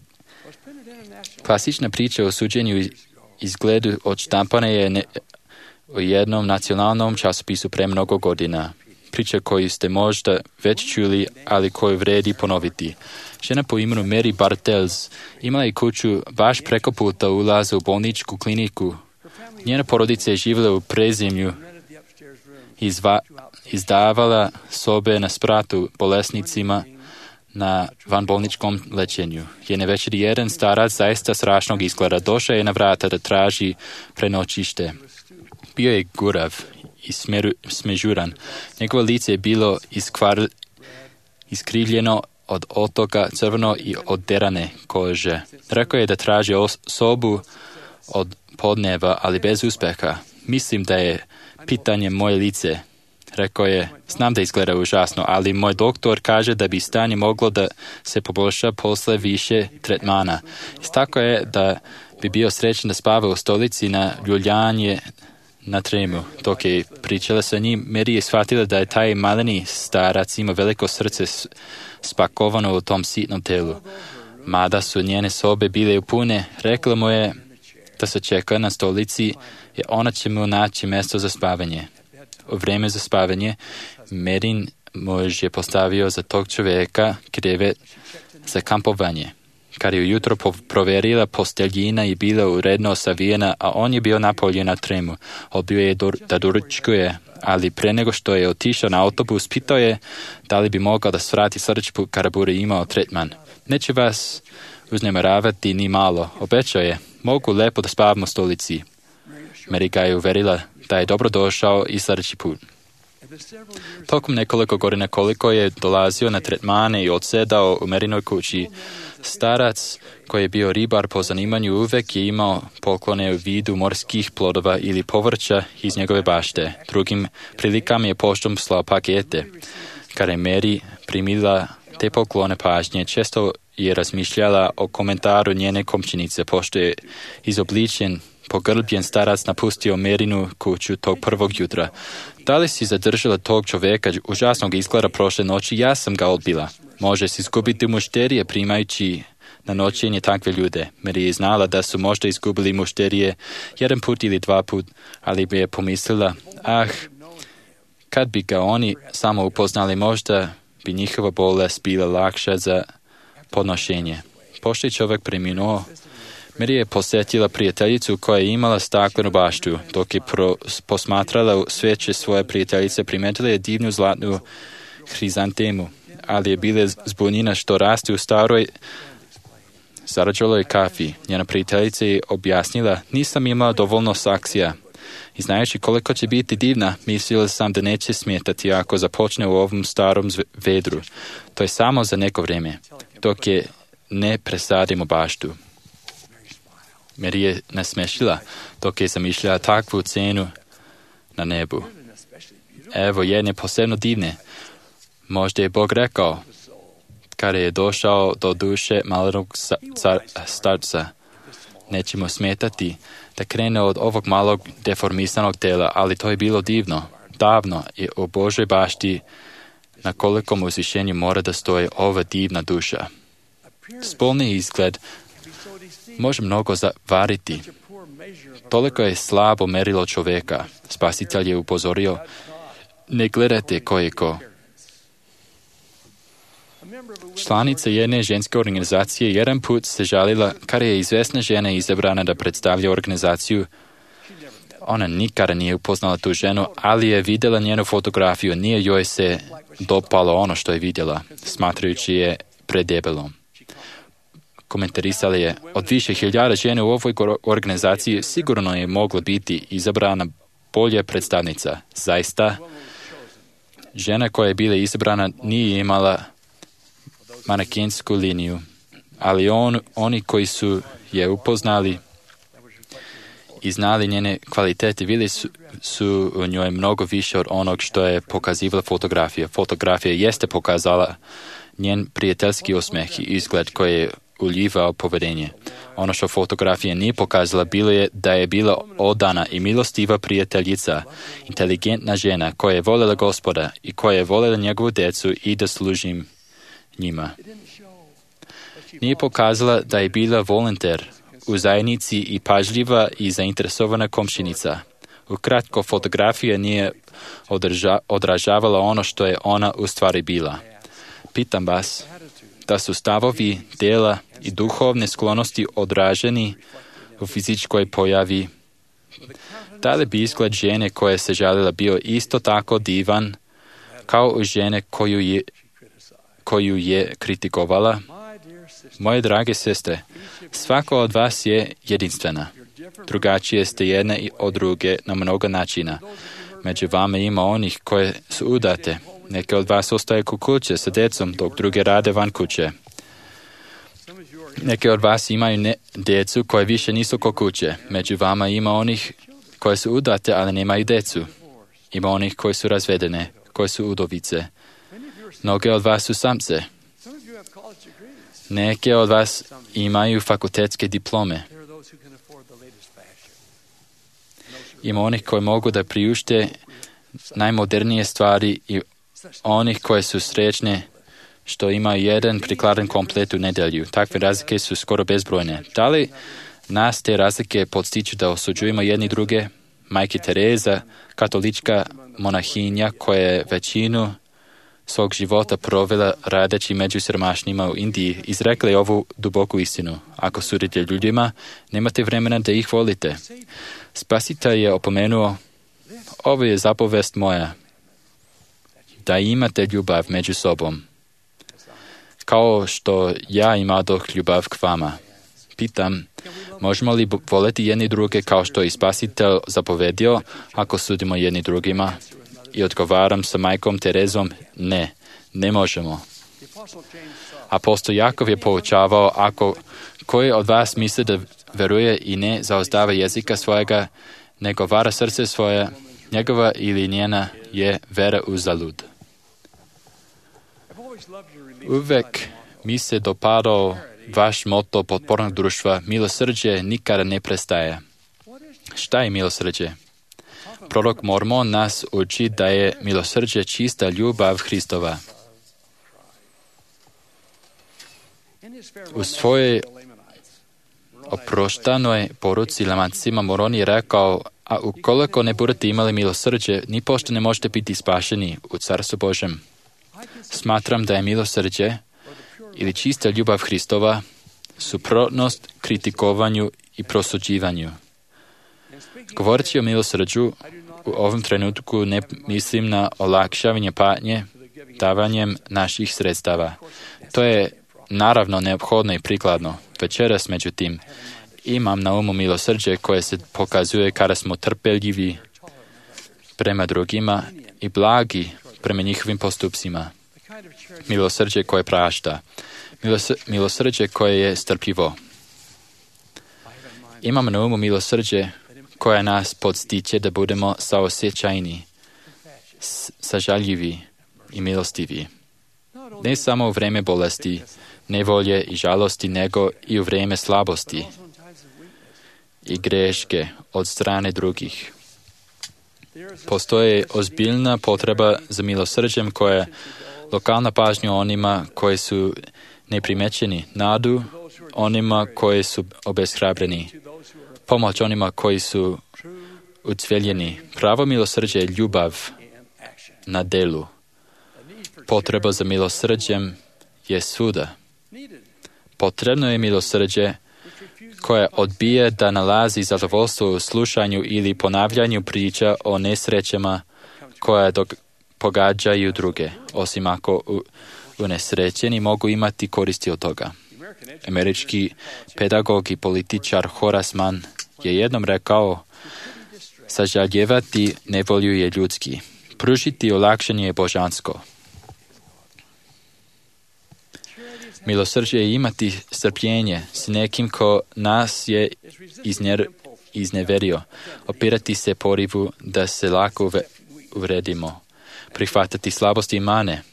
[SPEAKER 4] Klasična priča o suđenju izgledu odštampana je u jednom nacionalnom časopisu pre mnogo godina. Priča koju ste možda već čuli, ali koju vredi ponoviti. Žena po imenu Mary Bartels imala je kuću baš preko puta ulaza u bolničku kliniku. Njena porodica je živjela u prezemlju i izdavala sobe na spratu bolesnicima na vanbolničkom lečenju. Jedne večeri jedan starac zaista strašnog izgleda došao je na vrata da traži prenoćište. Bio je gurav i smežuran. Njegovo lice je bilo iskrivljeno od otoka crveno i oderane kože. Rekao je da traži sobu od podneva, ali bez uspeha. Mislim da je pitanje moje lice. Rekao je, znam da izgleda užasno, ali moj doktor kaže da bi stanje moglo da se poboljša posle više tretmana. Istakao je da bi bio srećan da spava u stolici na ljuljanje na tremu. Dok je pričala sa njim, Mary je shvatila da je taj maleni starac ima veliko srce spakovano u tom sitnom telu. Mada su njene sobe bile pune, rekla mu je da se čeka na stolici i ona će mu naći mjesto za spavanje. U vrijeme za spavanje, Merin muž je postavio za tog čovjeka krevet za kampovanje. Kad je ujutro proverila, posteljina je bila uredno savijena, a on je bio napolje na tremu. Odbio je da doručkuje, ali pre nego što je otišao na autobus, pitao je da li bi mogao da svrati srčku kada bude imao tretman. Neće vas uznemiravati ni malo. Obećao je, mogu lepo da spavam u stolici. Mary ga je uverila da je dobro došao i sljedeći put. Tokom nekoliko godina koliko je dolazio na tretmane i odsedao u Maryinoj kući, starac koji je bio ribar po zanimanju uvek je imao poklone u vidu morskih plodova ili povrća iz njegove bašte. Drugim prilikama je poštom slao pakete. Kada je Mary primila te poklone pažnje, često je razmišljala o komentaru njene komšinice, pošto je izobličen, pogrbljen starac napustio Maryinu kuću tog prvog jutra. Da li si zadržala tog čoveka užasnog izgleda prošle noći? Ja sam ga odbila. Može si izgubiti mušterije primajući na noćenje takve ljude. Mary je znala da su možda izgubili mušterije jedan put ili dva put, ali bi je pomislila, kad bi ga oni samo upoznali, možda bi njihova bolest bila lakša za podnošenje. Pošto je čovjek preminuo, Mary je posjetila prijateljicu koja je imala staklenu baštu. Dok je posmatrala sveće svoje prijateljice, primetila je divnu zlatnu hrizantemu, ali je bila zbunjena što raste u staroj zarađaloj kafi. Njena prijateljica je objasnila, nisam imala dovoljno saksija. I znajući koliko će biti divna, mislila sam da neće smetati ako započne u ovom starom vedru. To je samo za neko vrijeme, dok je ne presadimo baštu. Mary je nasmešila dok je zamišljala takvu cenu na nebu. Evo jedne posebno divne. Možda je Bog rekao, kada je došao do duše malog starca, nećemo smetati da krene od ovog malog deformisanog tela, ali to je bilo divno. Davno je u Božoj bašti na kolikom uzvišenju mora da stoji ova divna duša. Spolni izgled može mnogo zavariti. Toliko je slabo merilo čovjeka. Spasitelj je upozorio, ne gledajte ko je ko. Članica jedne ženske organizacije jedan put se žalila kada je izvesna žena izabrana da predstavlja organizaciju. Ona nikada nije upoznala tu ženu, ali je vidjela njenu fotografiju. Nije joj se dopalo ono što je vidjela, smatrajući je predebelom. Komentarisala je, od više hiljada žene u ovoj organizaciji sigurno je mogla biti izabrana bolja predstavnica. Zaista, žena koja je bila izabrana nije imala manekensku liniju, ali oni koji su je upoznali i znali njene kvalitete, vidjeli su u njoj mnogo više od onog što je pokazivala fotografija. Fotografija jeste pokazala njen prijateljski osmeh i izgled koji je uljivao povedenje. Ono što fotografija nije pokazala bilo je da je bila odana i milostiva prijateljica, inteligentna žena koja je voljela Gospoda i koja je voljela njegovu djecu i da služim njima. Nije pokazala da je bila volonter u zajednici i pažljiva i zainteresovana komšinica. Ukratko, fotografija nije odražavala ono što je ona u stvari bila. Pitam vas, da su stavovi, djela i duhovne sklonosti odraženi u fizičkoj pojavi, da li bi izgled žene koja se žalila bio isto tako divan kao u žene koju je kritikovala? Moje drage sestre, svako od vas je jedinstvena. Drugačije ste jedne od druge na mnogo načina. Među vama ima onih koje su udate. Neke od vas ostaje kod kuće sa djecom, dok druge rade van kuće. Neke od vas imaju djecu koje više nisu kod kuće. Među vama ima onih koje su udate, ali nemaju djecu. Ima onih koji su razvedene, koje su udovice. Mnoge od vas su samce. Neke od vas imaju fakultetske diplome. Ima onih koji mogu da priušte najmodernije stvari i onih koje su srećne što imaju jedan prikladan komplet u nedjelju. Takve razlike su skoro bezbrojne. Da li nas te razlike podstiču da osuđujemo jedni druge? Majka Tereza, katolička monahinja koja je većinu svog života provela radeći među siromašnima u Indiji, izrekla je ovu duboku istinu. Ako sudite ljudima, nemate vremena da ih volite. Spasitelj je opomenuo, ovo je zapovest moja, da imate ljubav među sobom. kao što ja imadoh ljubav k vama. Pitam, možemo li voleti jedni druge kao što je Spasitelj zapovedio ako sudimo jedni drugima? I odgovaram sa majkom Terezom, ne možemo. Apostol Jakov je poučavao, ako koji od vas misli da veruje i ne zaozdava jezika svojega, nego vara srce svoje, njegova ili njena je vera uzalud. Uvek mi se dopadao vaš moto potpornog društva, milosrđe nikada ne prestaje. Šta je milosrđe? Prorok Mormon nas uči da je milosrđe čista ljubav Hristova. U svojoj oproštanoj poruci Lamancima Moron je rekao, a ukoliko ne budete imali milosrđe, ni pošto ne možete biti spašeni u Carstvu Božem. Smatram da je milosrđe ili čista ljubav Hristova suprotnost kritikovanju i prosuđivanju. Govoreći o milosrđu, u ovom trenutku ne mislim na olakšavanje patnje davanjem naših sredstava. To je naravno neophodno i prikladno. Večeras, međutim, imam na umu milosrđe koje se pokazuje kada smo trpeljivi prema drugima i blagi prema njihovim postupcima. Milosrđe koje prašta. Milosrđe koje je strpljivo. Imam na umu milosrđe koje nas podstiče da budemo saosjećajni, sažaljivi i milostivi. Ne samo u vreme bolesti, nevolje i žalosti, nego i u vreme slabosti i greške od strane drugih. Postoji ozbiljna potreba za milosrđem koja je lokalna pažnja onima koji su neprimećeni, nadu onima koji su obeshrabreni, pomoć onima koji su ucveljeni. Pravo milosrđe je ljubav na delu. Potreba za milosrđem je svuda. Potrebno je milosrđe koje odbije da nalazi zadovoljstvo u slušanju ili ponavljanju priča o nesrećama koje pogađaju druge, osim ako unesrećeni mogu imati koristi od toga. Američki pedagog i političar Horace Mann je jednom rekao, sažaljevati nevolju je ljudski, pružiti olakšanje je božansko. Milosrđe je imati strpljenje s nekim ko nas je izneverio, opirati se porivu da se lako uvredimo, prihvatati slabosti i mane,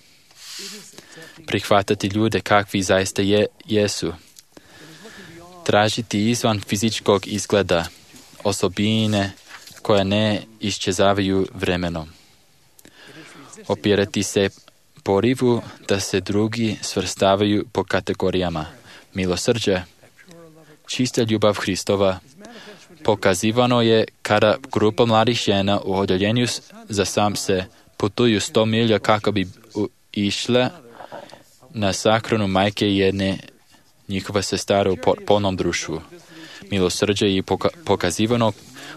[SPEAKER 4] prihvatati ljude kakvi zaista jesu, tražiti izvan fizičkog izgleda osobine koje ne iščezavaju vremenom, opirati se porivu da se drugi svrstavaju po kategorijama. Milosrđe, čista ljubav Hristova, pokazivano je kada grupa mladih žena u odjeljenju za sam se putuju 100 milja kako bi išle na sahranu majke jedne njihova sestara u polnom društvu. Milosrđe je pokazivano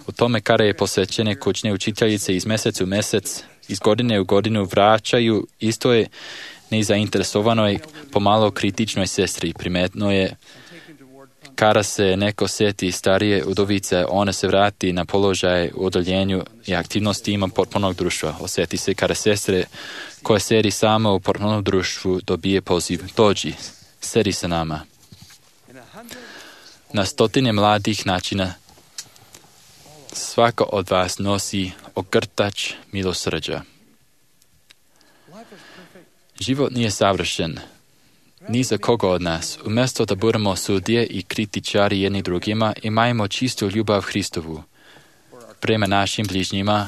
[SPEAKER 4] u tome kada je posvećene kućne učiteljice iz mjeseca u mjesec, iz godine u godinu vraćaju istoj nezainteresovanoj, pomalo kritičnoj sestri. Primetno je kada se neko sjeti starije udovice, ona se vrati na položaj u odoljenju i aktivnosti ima potpunog društva. Osjeti se kada sestre koja sedi sama u potpunom društvu dobije poziv. Dođi, sedi sa nama. Na stotine mladih načina svako od vas nosi ogrtač milosrđa. Život nije savršen, ni za koga od nas. Umjesto da budemo sudije i kritičari jedni drugima, imajmo čistu ljubav Hristovu prema našim bližnjima,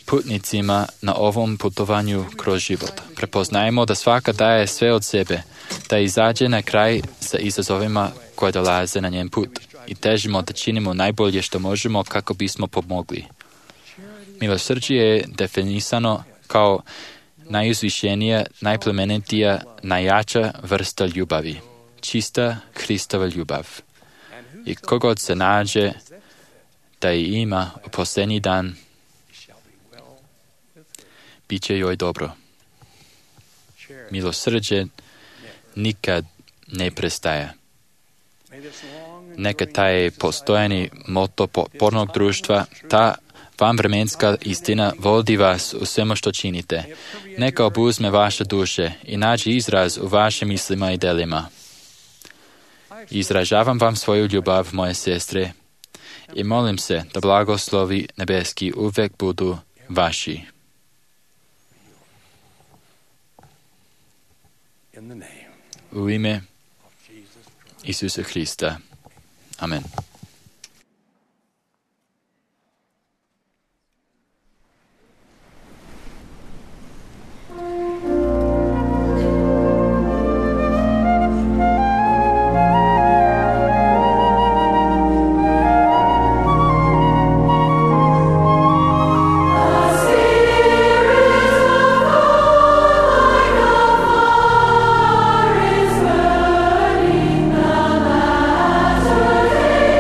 [SPEAKER 4] putnicima na ovom putovanju kroz život. Prepoznajmo da svaka daje sve od sebe, da izađe na kraj sa izazovima koje dolaze na njen put i težimo da činimo najbolje što možemo kako bismo pomogli. Milosrđe je definisano kao najuzvišenija, najplemenitija, najjača vrsta ljubavi. Čista Hristova ljubav. I kogod se nađe da je ima u posljednji dan, bit će joj dobro. Milosrđe nikad ne prestaje. Neka taj postojani moto potpornog društva, ta vanvremenska istina vodi vas u svemu što činite. Neka obuzme vaše duše i nađe izraz u vašim mislima i delima. Izražavam vam svoju ljubav, moje sestre, i molim se da blagoslovi nebeski uvek budu vaši. U ime Isusa Hrista. Amen.
[SPEAKER 6] Is burning the latter day.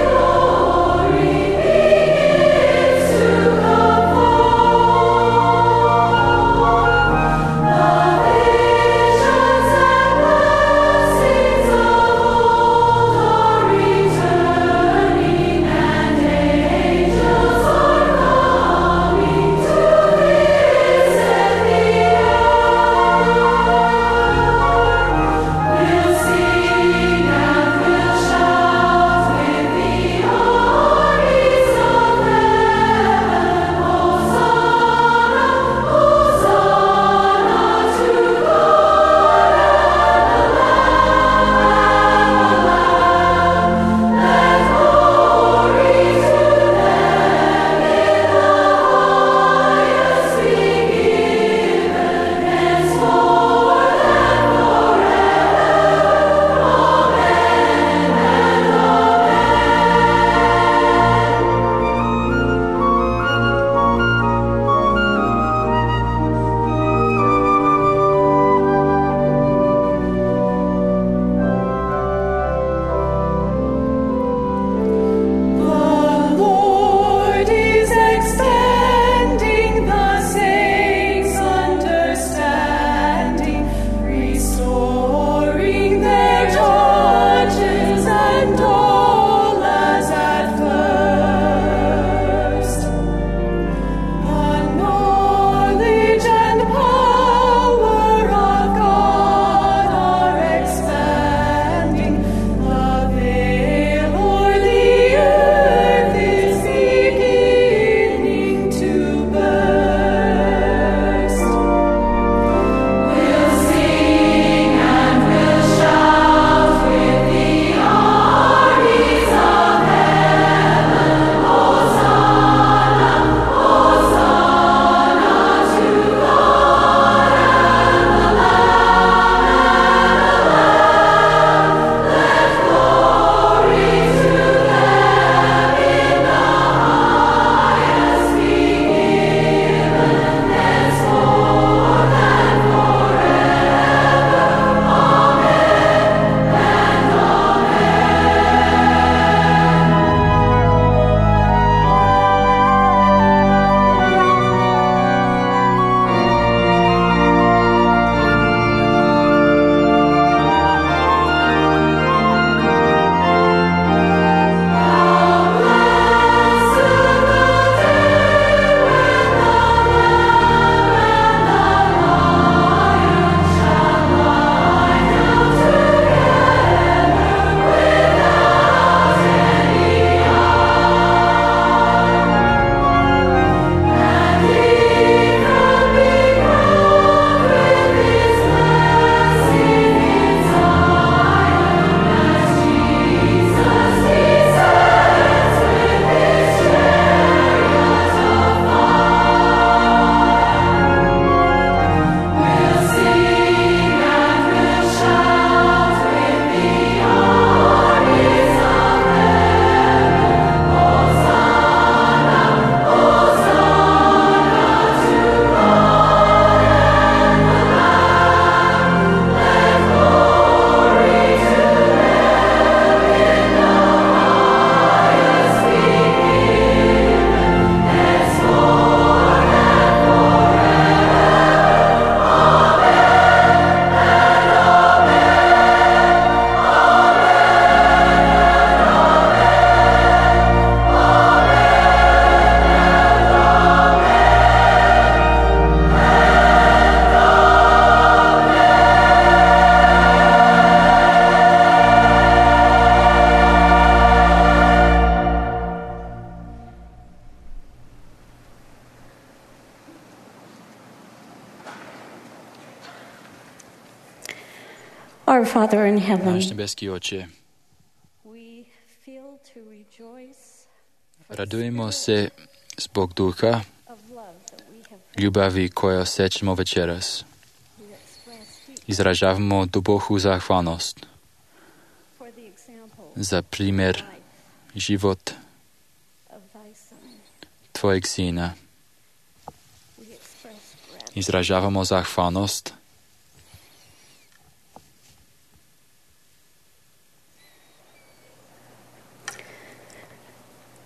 [SPEAKER 6] Our Father in heaven,
[SPEAKER 4] Náš nebeský Oče,
[SPEAKER 6] we feel to rejoice
[SPEAKER 4] radujemo se zbog duha
[SPEAKER 6] of love that we have
[SPEAKER 4] ljubavi koje osjećamo večeras.
[SPEAKER 6] we express deep
[SPEAKER 4] Izražavamo duboku zahvalnost
[SPEAKER 6] for the example
[SPEAKER 4] za primjer
[SPEAKER 6] life
[SPEAKER 4] život
[SPEAKER 6] of thy Son.
[SPEAKER 4] Tvojeg Sina.
[SPEAKER 6] We express gratitude
[SPEAKER 4] Izražavamo zahvalnost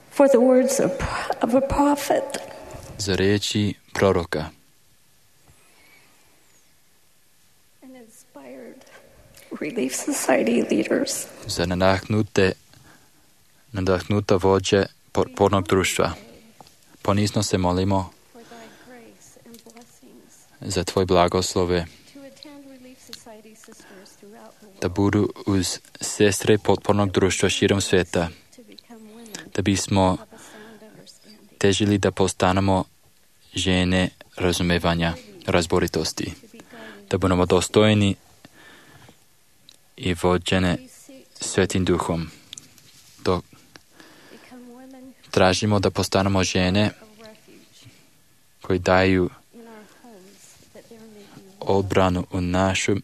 [SPEAKER 6] for the words of a prophet.
[SPEAKER 4] za riječi proroka
[SPEAKER 6] And inspired Relief Society leaders.
[SPEAKER 4] za nadahnuta vođe potpornog društva. Ponizno se molimo
[SPEAKER 6] For thy grace and blessings
[SPEAKER 4] za Tvoj blagoslove
[SPEAKER 6] to attend Relief Society sisters throughout the
[SPEAKER 4] da
[SPEAKER 6] world
[SPEAKER 4] budu uz sestre potpornog društva širom svijeta,
[SPEAKER 6] to become women
[SPEAKER 4] da bismo
[SPEAKER 6] of a sound understanding,
[SPEAKER 4] težili da postanemo žene razumevanja, razboritosti,
[SPEAKER 6] to be guided.
[SPEAKER 4] da budemo dostojni i vođene
[SPEAKER 6] We seek to
[SPEAKER 4] Svetim Duhom. Dok
[SPEAKER 6] become women
[SPEAKER 4] tražimo da postanemo žene
[SPEAKER 6] of refuge
[SPEAKER 4] koji daju
[SPEAKER 6] in our homes, that there may be
[SPEAKER 4] odbranu u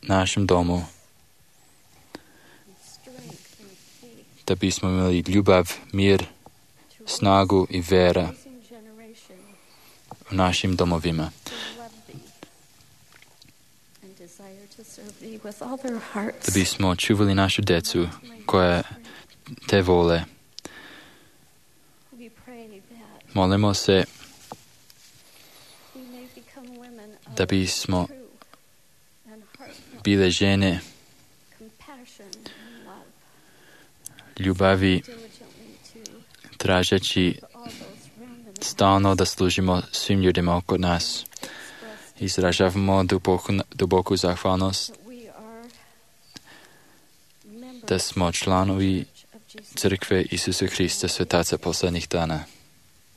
[SPEAKER 4] našem domu,
[SPEAKER 6] strength and faith
[SPEAKER 4] da bismo imali ljubav, mir,
[SPEAKER 6] to
[SPEAKER 4] snagu i vera
[SPEAKER 6] raising generation
[SPEAKER 4] u našim domovima,
[SPEAKER 6] to love thee and desire to serve thee with all their hearts.
[SPEAKER 4] da bismo čuvali našu djecu koja te vole.
[SPEAKER 6] We pray that
[SPEAKER 4] Molimo se
[SPEAKER 6] we may become women of
[SPEAKER 4] da bismo
[SPEAKER 6] true and heartfelt
[SPEAKER 4] bile žene
[SPEAKER 6] compassion and love,
[SPEAKER 4] ljubavi,
[SPEAKER 6] diligently to
[SPEAKER 4] tražeći
[SPEAKER 6] all those random
[SPEAKER 4] stalno da služimo svim ljudima oko nas.
[SPEAKER 6] expressed
[SPEAKER 4] Izražavamo duboku zahvalnost
[SPEAKER 6] that we are members
[SPEAKER 4] da smo članovi
[SPEAKER 6] of Jesus,
[SPEAKER 4] Crkve Isusa Hrista, svetaca posljednjih dana,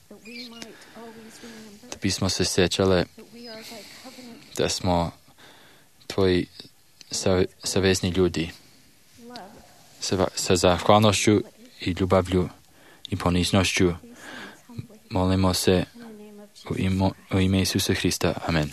[SPEAKER 6] that we might always remember
[SPEAKER 4] da bismo se sjećale
[SPEAKER 6] that we are thy covenant
[SPEAKER 4] da smo Tvoji savezni ljudi
[SPEAKER 6] love,
[SPEAKER 4] sa zahvalnošću i ljubavlju i poniznošću.
[SPEAKER 6] these things humbly
[SPEAKER 4] Molimo se
[SPEAKER 6] in the name of Jesus.
[SPEAKER 4] u ime Isusa Hrista. Amen.